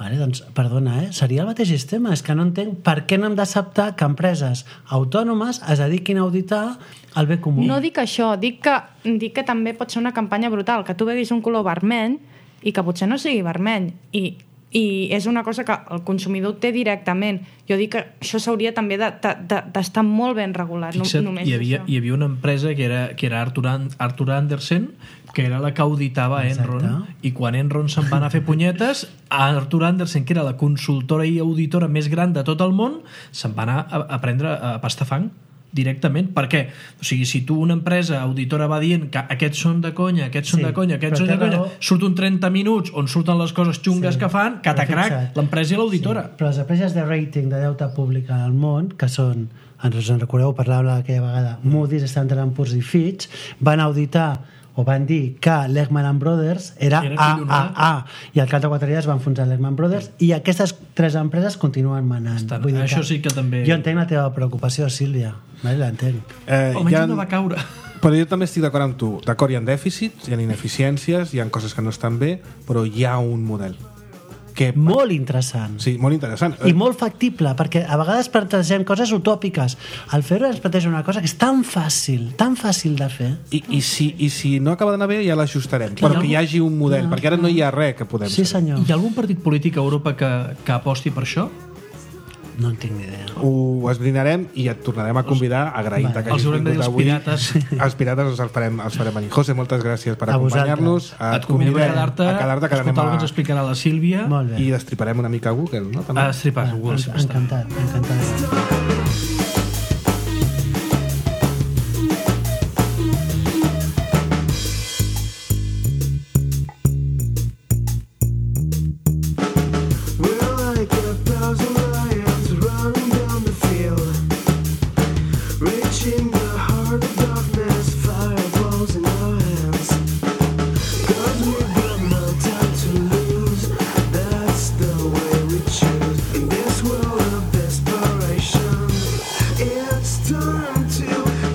Vale, doncs, perdona, eh? Seria el mateix sistema. És que no entenc per què no hem d'acceptar que empreses autònomes es dediquin a auditar el bé comú. No dic això, dic que, dic que també pot ser una campanya brutal, que tu veguis un color vermell i que potser no sigui vermell. I, i és una cosa que el consumidor té directament. Jo dic que això s'hauria també d'estar de, de, de molt ben regulat. Fixa't, només hi havia, això. hi havia una empresa que era, que era Arthur, Arthur Andersen, que era la que auditava Exacte. Enron, i quan Enron se'n va anar a fer punyetes, Arthur Andersen, que era la consultora i auditora més gran de tot el món, se'n va anar a, a prendre a pastar fang directament. Per què? O sigui, si tu una empresa auditora va dient que aquests són de conya, aquests són Sí, de conya, aquests però són de té conya, raó. surt un trenta minuts on surten les coses xungues Sí. que fan, catacrac, Però fixa't. l'empresa i l'auditora. Sí, però les empreses de rating de deute públic al món, que són, ens en recordeu, parlàvem aquella vegada, Moody's, Standard and Poor's i Fitch, van auditar o van dir que Lehman Brothers era, Era A collonada. A A i al cap de quatre dies van enfonsar Lehman Brothers i aquestes tres empreses continuen manant. Estan. Vull dir Això que sí que també- Jo entenc la teva preocupació, Sílvia. Vale, l'entenc. Eh, Almenys hi ha- no va caure. Però jo també estic d'acord amb tu. D'acord, hi ha dèficits, hi ha ineficiències, hi ha coses que no estan bé, però hi ha un model. Que... Molt interessant. Sí, molt interessant. I molt factible, perquè a vegades plantegem coses utòpiques. El fer-ho ens planteja una cosa que és tan fàcil, tan fàcil de fer. I, i, si, I si no acaba d'anar bé, ja l'ajustarem. Però que hi hagi un model, perquè ara no hi ha res que podem Sí, fer. senyor. Hi ha algun partit polític a Europa que, que aposti per això? No en tinc ni idea. Ho esbrinarem i et tornarem a convidar agraint Vale. que Els hagis haurem de dir vingut els avui. pirates. Els pirates els farem, els farem venir. José, moltes gràcies per A acompanyar-nos. Et convidem a quedar-te, a quedar-te que escoltar el que ens anem explicarà la Sílvia. Molt bé. I destriparem una mica Google, no? També. A estripar Ah, Google, en- sempre està bé. encantat, encantat. We're like a thousand lions running down the field, reaching the heart of darkness, fireballs in our hands. 'Cause we've got no time to lose, that's the way we choose. In this world of desperation, it's time to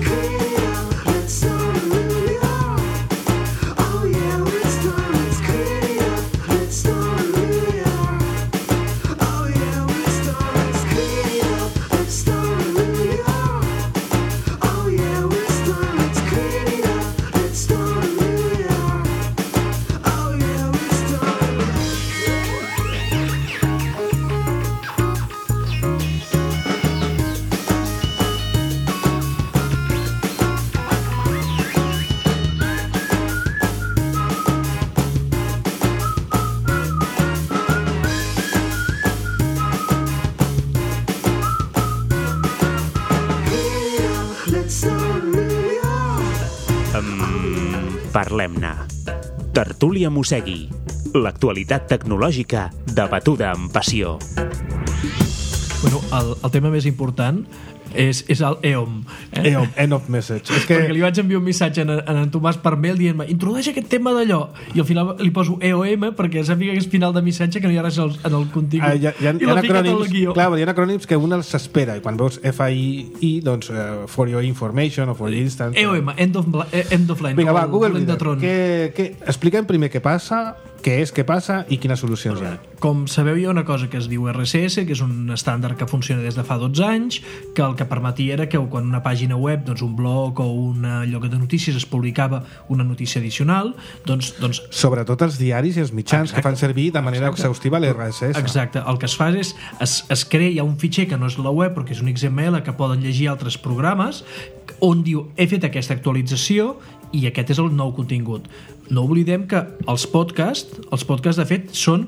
clean up, let's start a new year. Oh yeah, let's start, let's clean up, let's start a new year. Oh yeah, let's start, let's clean up, let's start a new year. Oh yeah, let's start, let's clean up, let's start a new year. Oh yeah, let's start. Let's start a new year. Um, Parlem-ne. Tertúlia Mossegui. L'actualitat tecnològica debatuda amb passió. Bueno, el, el tema més important és, és el E O M. Eh? E O M, end of message. És que... Perquè li vaig enviar un missatge en, en, en Tomàs per mail dient-me introdueix aquest tema d'allò, i al final li poso E O M perquè sàpiga que és final de missatge, que no hi ha res en el contingut. Ah, hi ha, hi ha, I hi ha l'ha ficat al acrònims, guió. clar, hi ha acrònims que un els s'espera, i quan veus F I I, doncs, uh, for your information o for your instance... E O M, end of, end of line. Vinga, va, el Google dolent de Reader. tron. Que, que, expliquem primer què passa, què és, què passa i quines solucions hi ha. Com sabeu, hi ha una cosa que es diu R S S, que és un estàndard que funciona des de fa dotze anys, que el que permetia era que quan una pàgina web, doncs un blog o un lloc de notícies es publicava una notícia addicional, doncs... doncs Sobretot els diaris i els mitjans Exacte. que fan servir de manera Exacte. exhaustiva l'R S S. Exacte. El que es fa és, es, es crea un fitxer que no és la web, però que és un X M L que poden llegir altres programes, on diu, he fet aquesta actualització i aquest és el nou contingut. No oblidem que els podcasts, els podcasts de fet són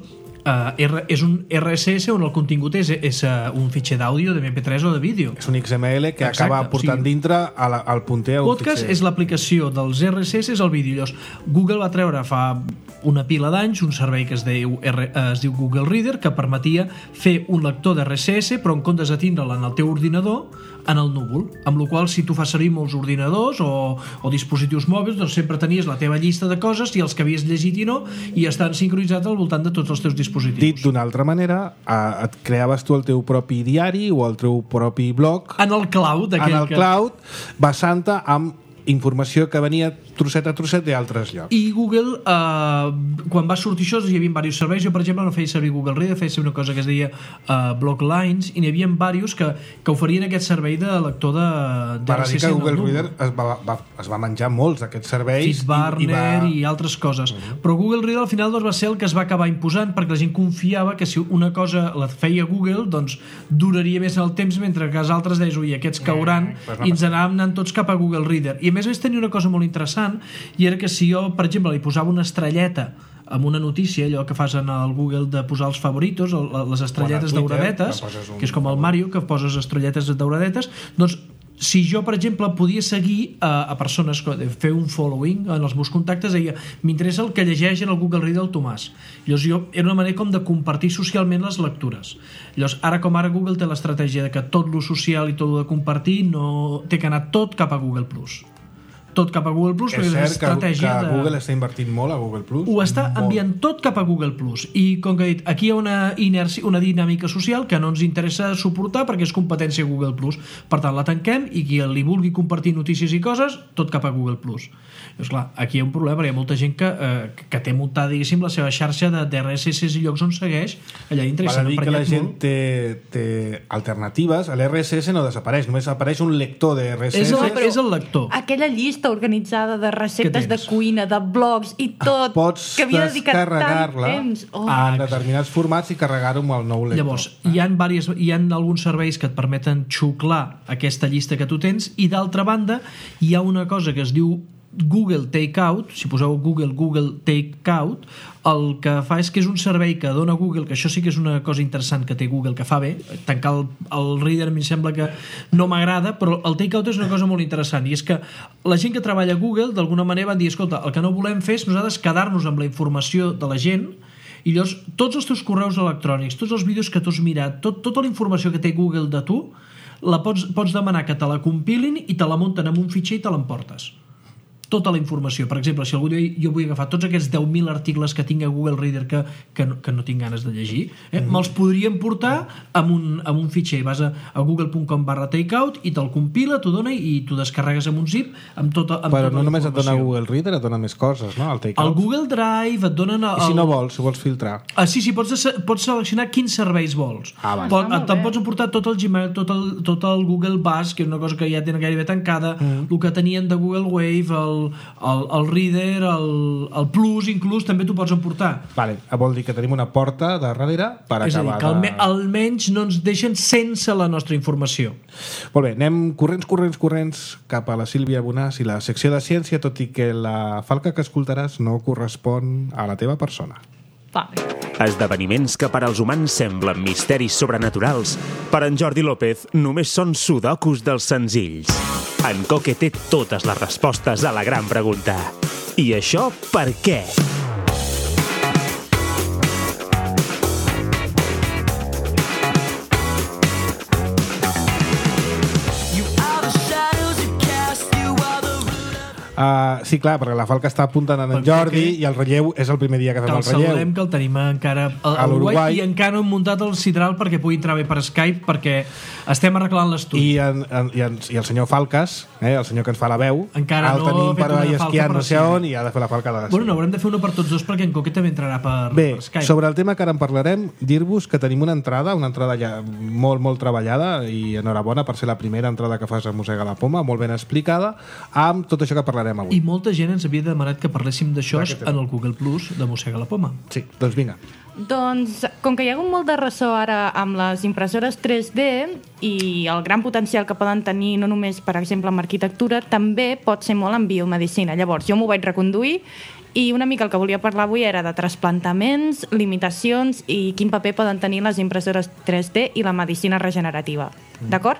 Uh, R, és un R S S on el contingut és, és uh, un fitxer d'àudio, de M P tres o de vídeo. És un X M L que Exacte, acaba portant o sigui, dintre a la, al punter a un podcast fitxer. És l'aplicació dels R S S al vídeo. Llavors, Google va treure fa una pila d'anys un servei que es diu, R, uh, es diu Google Reader, que permetia fer un lector de R S S, però en comptes de tindre'l en el teu ordinador, en el núvol, amb la qual si tu fas servir molts ordinadors o, o dispositius mòbils, doncs sempre tenies la teva llista de coses i els que havies llegit i no, i estan sincronitzats al voltant de tots els teus dispositius. Dit d'una altra manera, et creaves tu el teu propi diari o el teu propi blog en el cloud, en el que... cloud, basant-te amb informació que venia trosset a trosset d'altres llocs. I Google, eh, quan va sortir això, hi havia diversos serveis. Jo, per exemple, no feia servir Google Reader, feia servir una cosa que es deia eh, Blocklines, i n'hi havia diversos que, que oferien aquest servei de lector de, de Val a dir que Google Reader es va, va, es va menjar molts d'aquests serveis FitBurner i, i, va... i altres coses. Uh-huh. Però Google Reader al final doncs, va ser el que es va acabar imposant perquè la gent confiava que si una cosa la feia Google, doncs duraria més en el temps, mentre que els altres deien, ui, aquests cauran, uh-huh. pues no i ens anàvem anant tots cap a Google Reader. I a més a més tenia una cosa molt interessant, i era que si jo, per exemple, li posava una estrelleta amb una notícia, allò que fas en el Google de posar els favoritos, les estrelletes Twitter, dauradetes, que, un... que és com el Mario, que poses estrelletes dauradetes, doncs si jo, per exemple, podia seguir a, a persones, fer un following en els meus contactes, deia, m'interessa el que llegeix en el Google Reader el Tomàs. Llavors jo, era una manera com de compartir socialment les lectures. Llavors, ara com ara Google té l'estratègia de que tot lo social i tot lo de compartir no té que anar tot cap a Google Plus. Tot cap a Google Plus, és cert que, que de... Google està invertint molt a Google Plus. Ho està molt. Enviant tot cap a Google Plus. I com que he dit, aquí hi ha una inèrcia, una dinàmica social que no ens interessa suportar perquè és competència Google Plus. Per tant, la tanquem i qui li vulgui compartir notícies i coses, tot cap a Google Plus. Llavors, clar, aquí hi ha un problema, perquè hi ha molta gent que, eh, que té muntada, diguéssim, la seva xarxa de, de R S S i llocs on segueix allà dintre. Val a dir que la gent té, té alternatives. L'R S S no desapareix, només apareix un lector de R S S. És el, és el lector. Aquella llista organitzada de receptes de cuina, de blogs i tot, pots que havia dedicat tant temps. Oh. En determinats formats i carregar-ho amb el nou lector. Llavors, hi ha, diverses, hi ha alguns serveis que et permeten xuclar aquesta llista que tu tens, i d'altra banda hi ha una cosa que es diu Google Takeout. Si poseu Google, Google Takeout, el que fa és que és un servei que dona Google, que això sí que és una cosa interessant que té Google, que fa bé. Tancar el, el Reader a mi sembla que no m'agrada, però el Takeout és una cosa molt interessant, i és que la gent que treballa a Google d'alguna manera van dir, escolta, el que no volem fer és nosaltres quedar-nos amb la informació de la gent, i llavors tots els teus correus electrònics, tots els vídeos que tu has mirat, tot, tota la informació que té Google de tu, la pots, pots demanar que te la compilin i te la munten en un fitxer i te l'emportes. Tota la informació. Per exemple, si algú diu, jo vull agafar tots aquests deu mil articles que tinc a Google Reader que, que, no, que no tinc ganes de llegir, eh? Mm. me'ls podríem portar amb un, amb un fitxer. Vas a, a google punt com barra takeout i te'l compila, t'ho dona i tu descarregues amb un zip amb tota, amb Però tota no només et dona informació. Google Reader, et dona més coses, no? El Takeout. El Google Drive et donen... El... I si no vols, si vols filtrar? Ah, sí, sí, pots, pots seleccionar quins serveis vols. Ah, vale. Pot, ah, te'n pots emportar tot el Gmail, tot el, tot el Google Buzz, que és una cosa que ja tenen gairebé tancada, mm. el que tenien de Google Wave, el, el, el Reader, el, el Plus, inclús, també t'ho pots emportar. Vale, vol dir que tenim una porta de darrere per és acabar a dir, que alme, de... almenys no ens deixen sense la nostra informació. Molt bé, anem corrents, corrents, corrents cap a la Sílvia Bonàs i la secció de ciència, tot i que la falca que escoltaràs no correspon a la teva persona. Vale. Esdeveniments que per als humans semblen misteris sobrenaturals, per en Jordi López només són sudokus dels senzills. En Coque té totes les respostes a la gran pregunta. I això per què? Uh, sí, clar, perquè la falca està apuntant en, en Jordi i el relleu és el primer dia que fem Que el el relleu. saludem, que el tenim encara a, A l'Uruguai. i encara no hem muntat el sidral perquè pugui entrar bé per Skype, perquè estem arreglant l'estudi. I, en, en, i, en, I el senyor Falques, eh, el senyor que ens fa la veu, Encara el no ha tenim fet per una ahí falca esquiant per no sé sí. on i ha de fer la falca de la Bueno, no, haurem de fer una per tots dos perquè en Coque també entrarà per, Bé, per Skype. sobre el tema que ara en parlarem, dir-vos que tenim una entrada, una entrada ja molt, molt treballada, i enhorabona per ser la primera entrada que fas a Mossega la Poma, molt ben explicada, amb tot això que parlarem avui. I molta gent ens havia demanat que parléssim d'això Clar que té. en el Google Plus de Mossega la Poma. Sí, doncs vinga. Doncs, com que hi ha hagut molt de ressò ara amb les impressores tres D i el gran potencial que poden tenir no només, per exemple, en arquitectura, també pot ser molt en biomedicina. Llavors, jo m'ho vaig reconduir i una mica el que volia parlar avui era de trasplantaments, limitacions i quin paper poden tenir les impressores tres D i la medicina regenerativa. D'acord?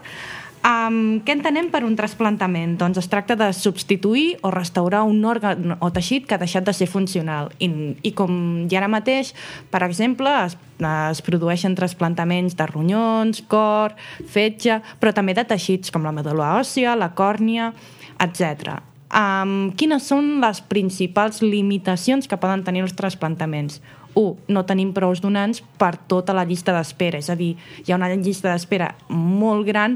Um, què entenem per un trasplantament? Doncs es tracta de substituir o restaurar un òrgan o teixit que ha deixat de ser funcional. I, i com ja ara mateix, per exemple, es, es produeixen trasplantaments de ronyons, cor, fetge, però també de teixits com la medul·la òssia, la còrnia, etcètera. Um, quines són les principals limitacions que poden tenir els trasplantaments? u. No tenim prous donants per tota la llista d'espera, és a dir, hi ha una llista d'espera molt gran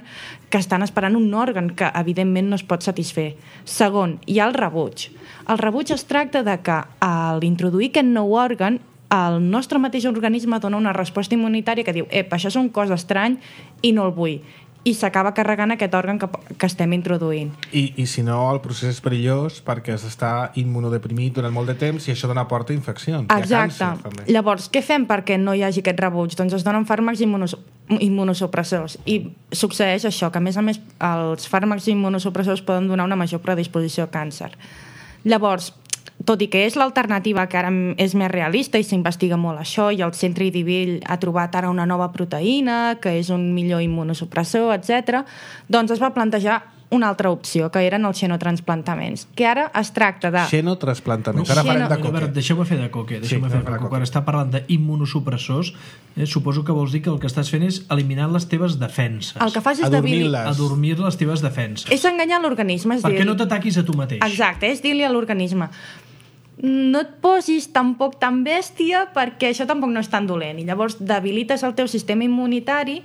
que estan esperant un òrgan que evidentment no es pot satisfer. Segon, hi ha el rebuig. El rebuig es tracta de que a l'introduir aquest nou òrgan el nostre mateix organisme dona una resposta immunitària que diu ep, això és un cos estrany i no el vull. I s'acaba carregant aquest òrgan que, que estem introduint. I, I si no, el procés és perillós perquè s'està immunodeprimit durant molt de temps i això dona porta a infeccions. Exacte. I a càncer, també. Llavors, què fem perquè no hi hagi aquest rebuig? Doncs es donen fàrmacs immunos immunosupressors. I succeeix això, que a més a més els fàrmacs immunosupressors poden donar una major predisposició a càncer. Llavors, tot i que és l'alternativa que ara és més realista i s'investiga molt això, i el Centre Idivell ha trobat ara una nova proteïna que és un millor immunosupressor, etcètera, doncs es va plantejar una altra opció, que eren els xenotransplantaments, que ara es tracta de... Xenotransplantaments. Ara Xeno- farem de A veure, coque. deixeu-me fer de coque. Deixeu-me Sí, fer de farà coque. coque. Quan està parlant d'immunosupressors, eh, suposo que vols dir que el que estàs fent és eliminar les teves defenses. El que fas és debilitar... Adormir-les. Adormir les teves defenses. És enganyar l'organisme. és Perquè dir- no t'ataquis a tu mateix. Exacte, és dir-li a l'organisme no et posis tampoc tan bèstia perquè això tampoc no és tan dolent. I llavors debilites el teu sistema immunitari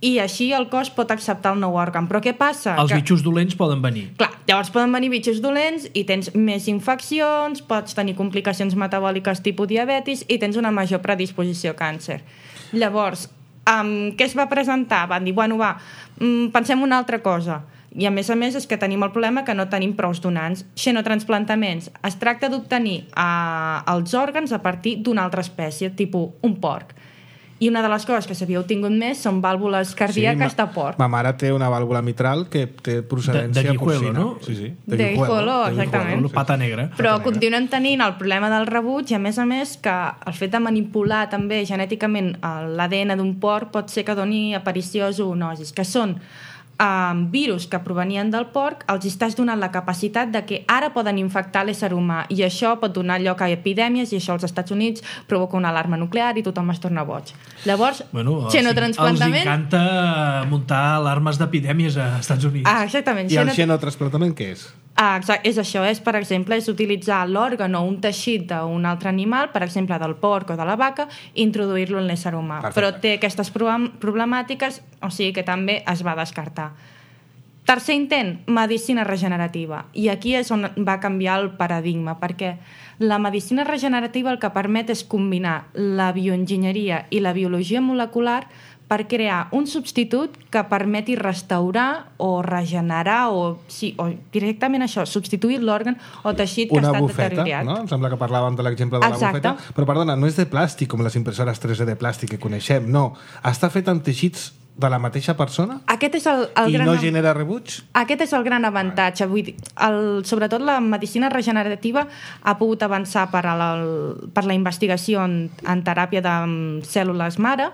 i així el cos pot acceptar el nou òrgan. Però què passa? Els Que- bitxos dolents poden venir. Clar, llavors poden venir bitxos dolents i tens més infeccions, pots tenir complicacions metabòliques tipus diabetis i tens una major predisposició a càncer. Llavors, um, què es va presentar? Van dir, bueno, va, um, pensem una altra cosa. I a més a més és que tenim el problema que no tenim prous donants. Xenotransplantaments. Es tracta d'obtenir uh, els òrgans a partir d'una altra espècie, tipus un porc. I una de les coses que s'havia obtingut més són vàlvules cardíaques ma- de porc. Ma mare té una vàlvula mitral que té procedència De- de guijuelo, porcina. no? Sí, sí. De guijuelo, exactament. Una pata negra. Però continuem tenint el problema del rebuig i a més a més que el fet de manipular també genèticament l'A D N d'un porc pot ser que doni aparició a zoonosis, que són um, virus que provenien del porc, els estàs donant la capacitat de que ara poden infectar l'ésser humà i això pot donar lloc a epidèmies i això als Estats Units provoca una alarma nuclear i tothom es torna boig. Llavors, Bueno, els, els xenotransplantament... encanta muntar alarmes d'epidèmies als Estats Units. Ah, exactament. I el Xenot- xenotransplantament què és? Ah, exacte, és això, és, per exemple, és utilitzar l'òrgan o un teixit d'un altre animal, per exemple, del porc o de la vaca, i introduir-lo en l'ésser humà. Perfecte. Però té aquestes prob- problemàtiques, o sigui que també es va descartar. Tercer intent, medicina regenerativa. I aquí és on va canviar el paradigma, perquè la medicina regenerativa el que permet és combinar la bioenginyeria i la biologia molecular per crear un substitut que permeti restaurar o regenerar o, sí, o directament això, substituir l'òrgan o teixit que Una ha estat bufeta, deteriorat. no? Em sembla que parlàvem de l'exemple de la Exacte. bufeta. Però, perdona, no és de plàstic com les impressores tres D de plàstic que coneixem, no. Està fet amb teixits de la mateixa persona Aquest és el, el i gran... no genera rebuig? Aquest és el gran avantatge. Vull dir, el, sobretot la medicina regenerativa ha pogut avançar per, a la, per la investigació en, en teràpia de mm, cèl·lules mare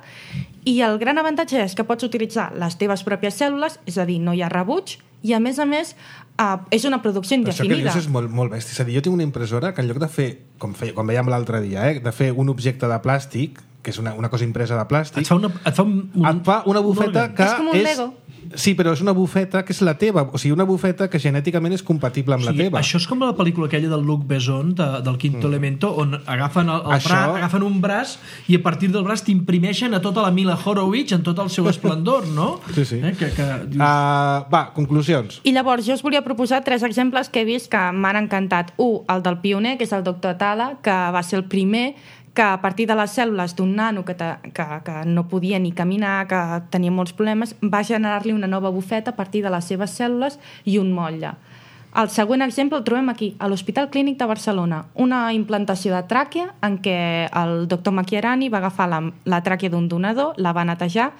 i el gran avantatge és que pots utilitzar les teves pròpies cèl·lules, és a dir, no hi ha rebuig, i a més a més eh, és una producció Però això que indefinida. dius és molt, molt bèstia. És a dir, jo tinc una impressora que en lloc de fer, com, feia, com veiem l'altre dia, eh, de fer un objecte de plàstic, que és una, una cosa impresa de plàstic, Et fa, una, et fa un, un, et fa una bufeta òrgan. que És com un és Lego. Sí, però és una bufeta que és la teva, o sigui, una bufeta que genèticament és compatible amb O sigui, la teva. això és com la pel·lícula aquella del Luc Besson, de, del Quinto mm. Elemento, on agafen, el, el Això... braç, agafen un braç i a partir del braç t'imprimeixen a tota la Mila Horowitz en tot el seu esplendor, no? Sí, sí. Eh? Que, que, dius... uh, va, conclusions. I llavors jo us volia proposar tres exemples que he vist que m'han encantat. Un, el del pioner, que és el doctor Atala, que va ser el primer que a partir de les cèl·lules d'un nano que, te, que, que no podia ni caminar, que tenia molts problemes, va generar-li una nova bufeta a partir de les seves cèl·lules i un motlle. El següent exemple el trobem aquí, a l'Hospital Clínic de Barcelona, una implantació de tràquea en què el doctor Macchiarani va agafar la, la tràquea d'un donador, la va netejar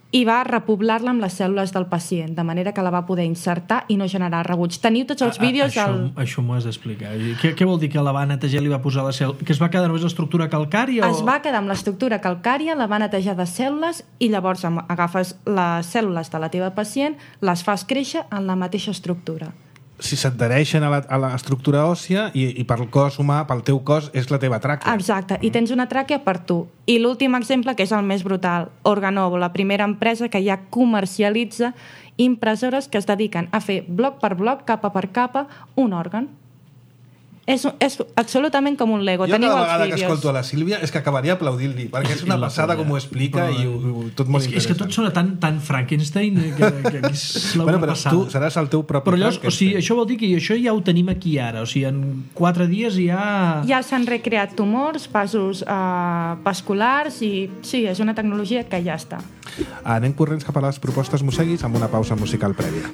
i va repoblar-la amb les cèl·lules del pacient, de manera que la va poder insertar i no generar rebuig. Teniu tots els vídeos... A, a, al... això, això m'ho has d'explicar. Què, què vol dir que la va netejar i li va posar la cèl·lula? Que es va quedar només l'estructura calcària? Es o... va quedar amb l'estructura calcària, la va netejar de cèl·lules i llavors agafes les cèl·lules de la teva pacient, les fas créixer en la mateixa estructura. Si s'adhereixen a, la, a l'estructura òssia i, i pel cos humà, pel teu cos, és la teva tràquea. Exacte, i tens una tràquea per tu. I l'últim exemple, que és el més brutal, Organovo, la primera empresa que ja comercialitza impressores que es dediquen a fer bloc per bloc, capa per capa, un òrgan. És, és absolutament com un Lego. Jo Teniu cada els vegada que vídeos. escolto a la Sílvia és que acabaria aplaudint-li, perquè és una passada com ho explica però, i ho, ho, tot molt és, interessant. és que tot sona tan, tan Frankenstein que, que és la bueno, però passada. tu seràs el teu propi però llavors, o Frankenstein. sigui, això vol dir que això ja ho tenim aquí ara, o sigui, en quatre dies ja... Ja s'han recreat tumors, vasos eh, vasculars i sí, és una tecnologia que ja està. Anem corrents cap a les propostes Mosseguis amb una pausa musical prèvia.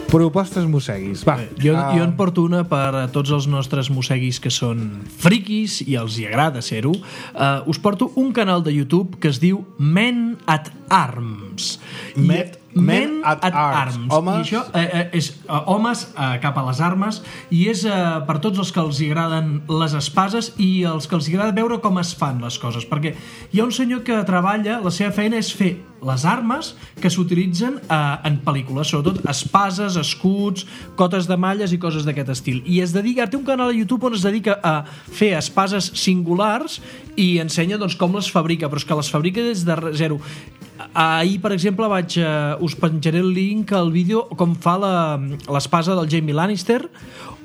Propostes Mosseguis, va. Jo, uh... jo en porto una per a tots els nostres mosseguis que són friquis i els hi agrada ser-ho. Uh, us porto un canal de YouTube que es diu Men at Arms. Met, I, Men at, at Arms. Arms. Homes... I això eh, és uh, homes uh, cap a les armes i és uh, per tots els que els hi agraden les espases i els que els hi agrada veure com es fan les coses, perquè hi ha un senyor que treballa, la seva feina és fer les armes que s'utilitzen eh, en pel·lícules, sobretot espases, escuts, cotes de malles i coses d'aquest estil. I es dedica, té un canal a YouTube on es dedica a fer espases singulars i ensenya doncs, com les fabrica, però és que les fabrica des de zero. Ahir, per exemple, vaig, uh, us penjaré el link al vídeo com fa l'espasa del Jaime Lannister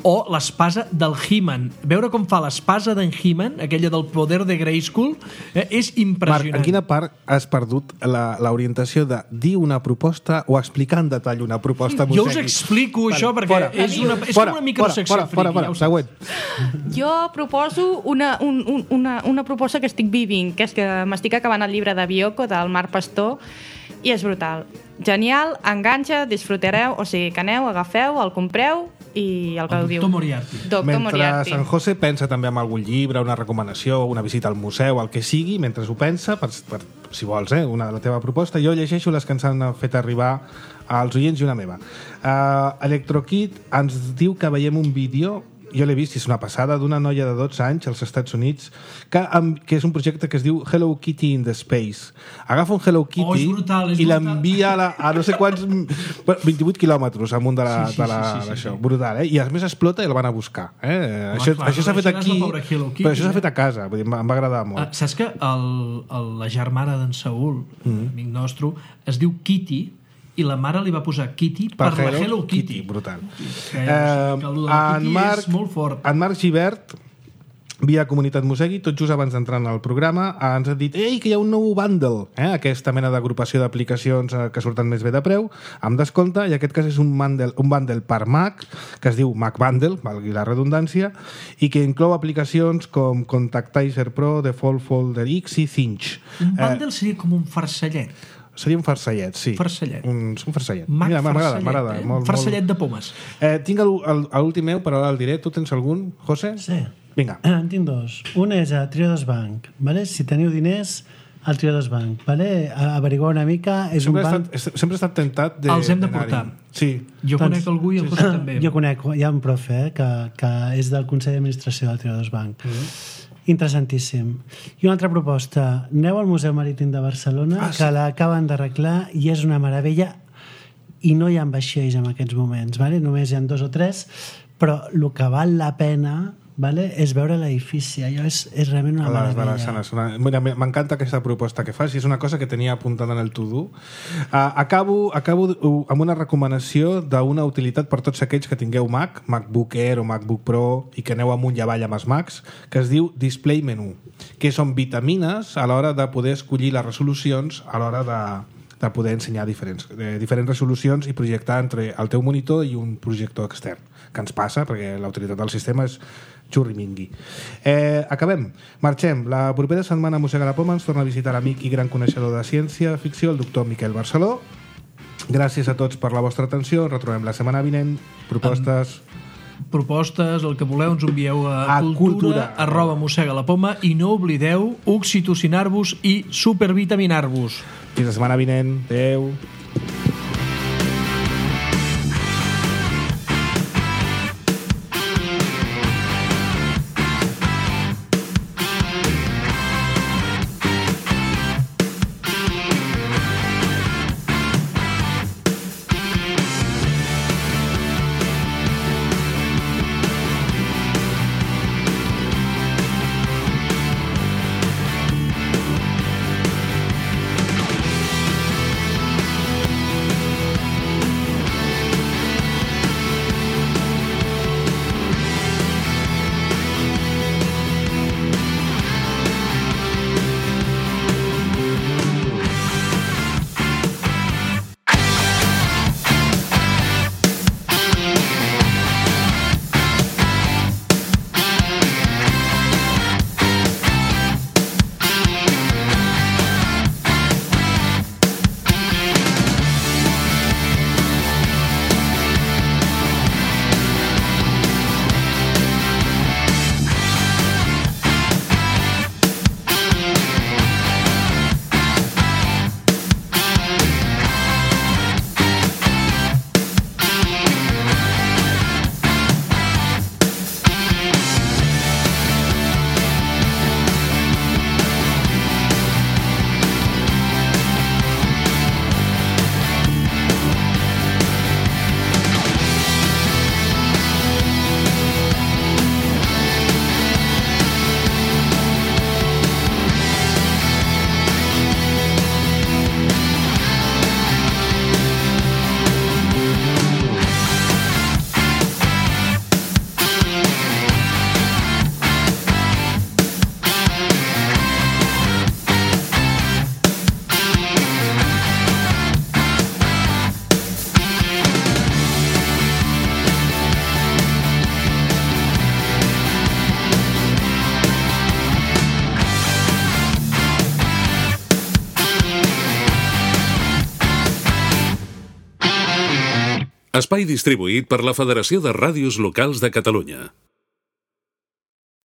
o l'espasa del He-Man. Veure com fa l'espasa d'en He-Man, aquella del poder de Grayskull, eh, és impressionant. Marc, en quina part has perdut l'orientació de dir una proposta o explicar en detall una proposta Jo Mosseguis? us explico Vale, això perquè fora. és una, és Fora, com una microsecció fora, fora, fora, friki. fora, següent. Jo proposo una, un, un, una, una proposta que estic vivint, que és que m'estic acabant el llibre de Bioko, del Marc Pastor, i és brutal. Genial, enganxa, disfrutareu, o sigui, que aneu, agafeu, el compreu i el que El ho diu. doctor Moriarty. Doctor Mentre Moriarty. San José pensa també en algun llibre, una recomanació, una visita al museu, el que sigui, mentre ho pensa, per, per, si vols, eh, una de la teva proposta, jo llegeixo les que ens han fet arribar als oients i una meva. Uh, Electrokid ens diu que veiem un vídeo, jo l'he vist, és una passada, d'una noia de dotze anys als Estats Units que, um, que és un projecte que es diu Hello Kitty in the Space. Agafa un Hello Kitty Oh, és brutal, és i brutal. l'envia a, la, a no sé quants vint-i-vuit quilòmetres amunt de la, Sí, sí, de la, sí, sí, sí, d'això. sí. Brutal, eh? I a més explota i el van a buscar. Eh? Home, això clar, això s'ha fet això és aquí, la pobra Hello Kitty, però això s'ha eh? fet a casa. Vull dir, em va agradar molt. Uh, saps que el, el, la germana d'en Saúl, mm. amic nostre, es diu Kitty i la mare li va posar Kitty per, per la Hello Kitty. Brutal. Que, eh, que el de la en, Kitty Marc, és molt fort. en Marc Givert via Comunitat Mosegui, tot just abans d'entrar en el programa, ens ha dit ei, que hi ha un nou bundle, eh? Aquesta mena d'agrupació d'aplicacions eh, que surten més bé de preu, amb descompte, i aquest cas és un bundle, un bundle per Mac, que es diu Mac Bundle, valgui la redundància, i que inclou aplicacions com Contactizer Pro, Default Folder X i Cinch. Un bundle eh, seria com un farcellet. Seria un farcellet, sí. Farcellet. Un, un farcellet. Mac Mira, m'agrada, farcellet, m'agrada. eh? Molt, farcellet molt... de pomes. Eh, tinc l'últim meu, però ara el diré. Tu tens algun, José? Sí. Vinga. En tinc dos. Un és a Triodos Bank. Vale? Si teniu diners, al Triodos Bank. Vale? Averiguar una mica. És sempre, un he banc... estat, sempre he estat tentat de... Els hem de portar. Sí. Jo Doncs- conec algú i el José també. Jo conec, hi ha un profe eh, que, que és del Consell d'Administració del Triodos Bank. Mm. Interessantíssim. I una altra proposta. Aneu al Museu Marítim de Barcelona, Ah, sí. que l'acaben d'arreglar i és una meravella, i no hi ha vaixells en aquests moments, vale? Només hi ha dos o tres, però el que val la pena, vale, és veure l'edifici. Allò és, és realment una A les meravella. Barassanes. Una... Mira, m'encanta aquesta proposta que fas i és una cosa que tenia apuntada en el to-do. Uh, acabo, acabo amb una recomanació d'una utilitat per tots aquells que tingueu Mac, MacBook Air o MacBook Pro i que aneu amunt i avall amb els Macs, que es diu Display Menu, que són vitamines a l'hora de poder escollir les resolucions a l'hora de, de poder ensenyar diferents, eh, diferents resolucions i projectar entre el teu monitor i un projector extern, que ens passa perquè la utilitat del sistema és xurrimingui. Eh, acabem. Marxem. La propera setmana a Mossega la Poma ens torna a visitar l'amic i gran coneixedor de ciència-ficció, el doctor Miquel Barceló. Gràcies a tots per la vostra atenció. Ens retrobem la setmana vinent. Propostes... Propostes, el que voleu, ens envieu a, A cultura, cultura. arroba mossega la poma, i no oblideu oxitocinar-vos i supervitaminar-vos. Fins la setmana vinent. Adéu. Espai distribuït per la Federació de Ràdios Locals de Catalunya.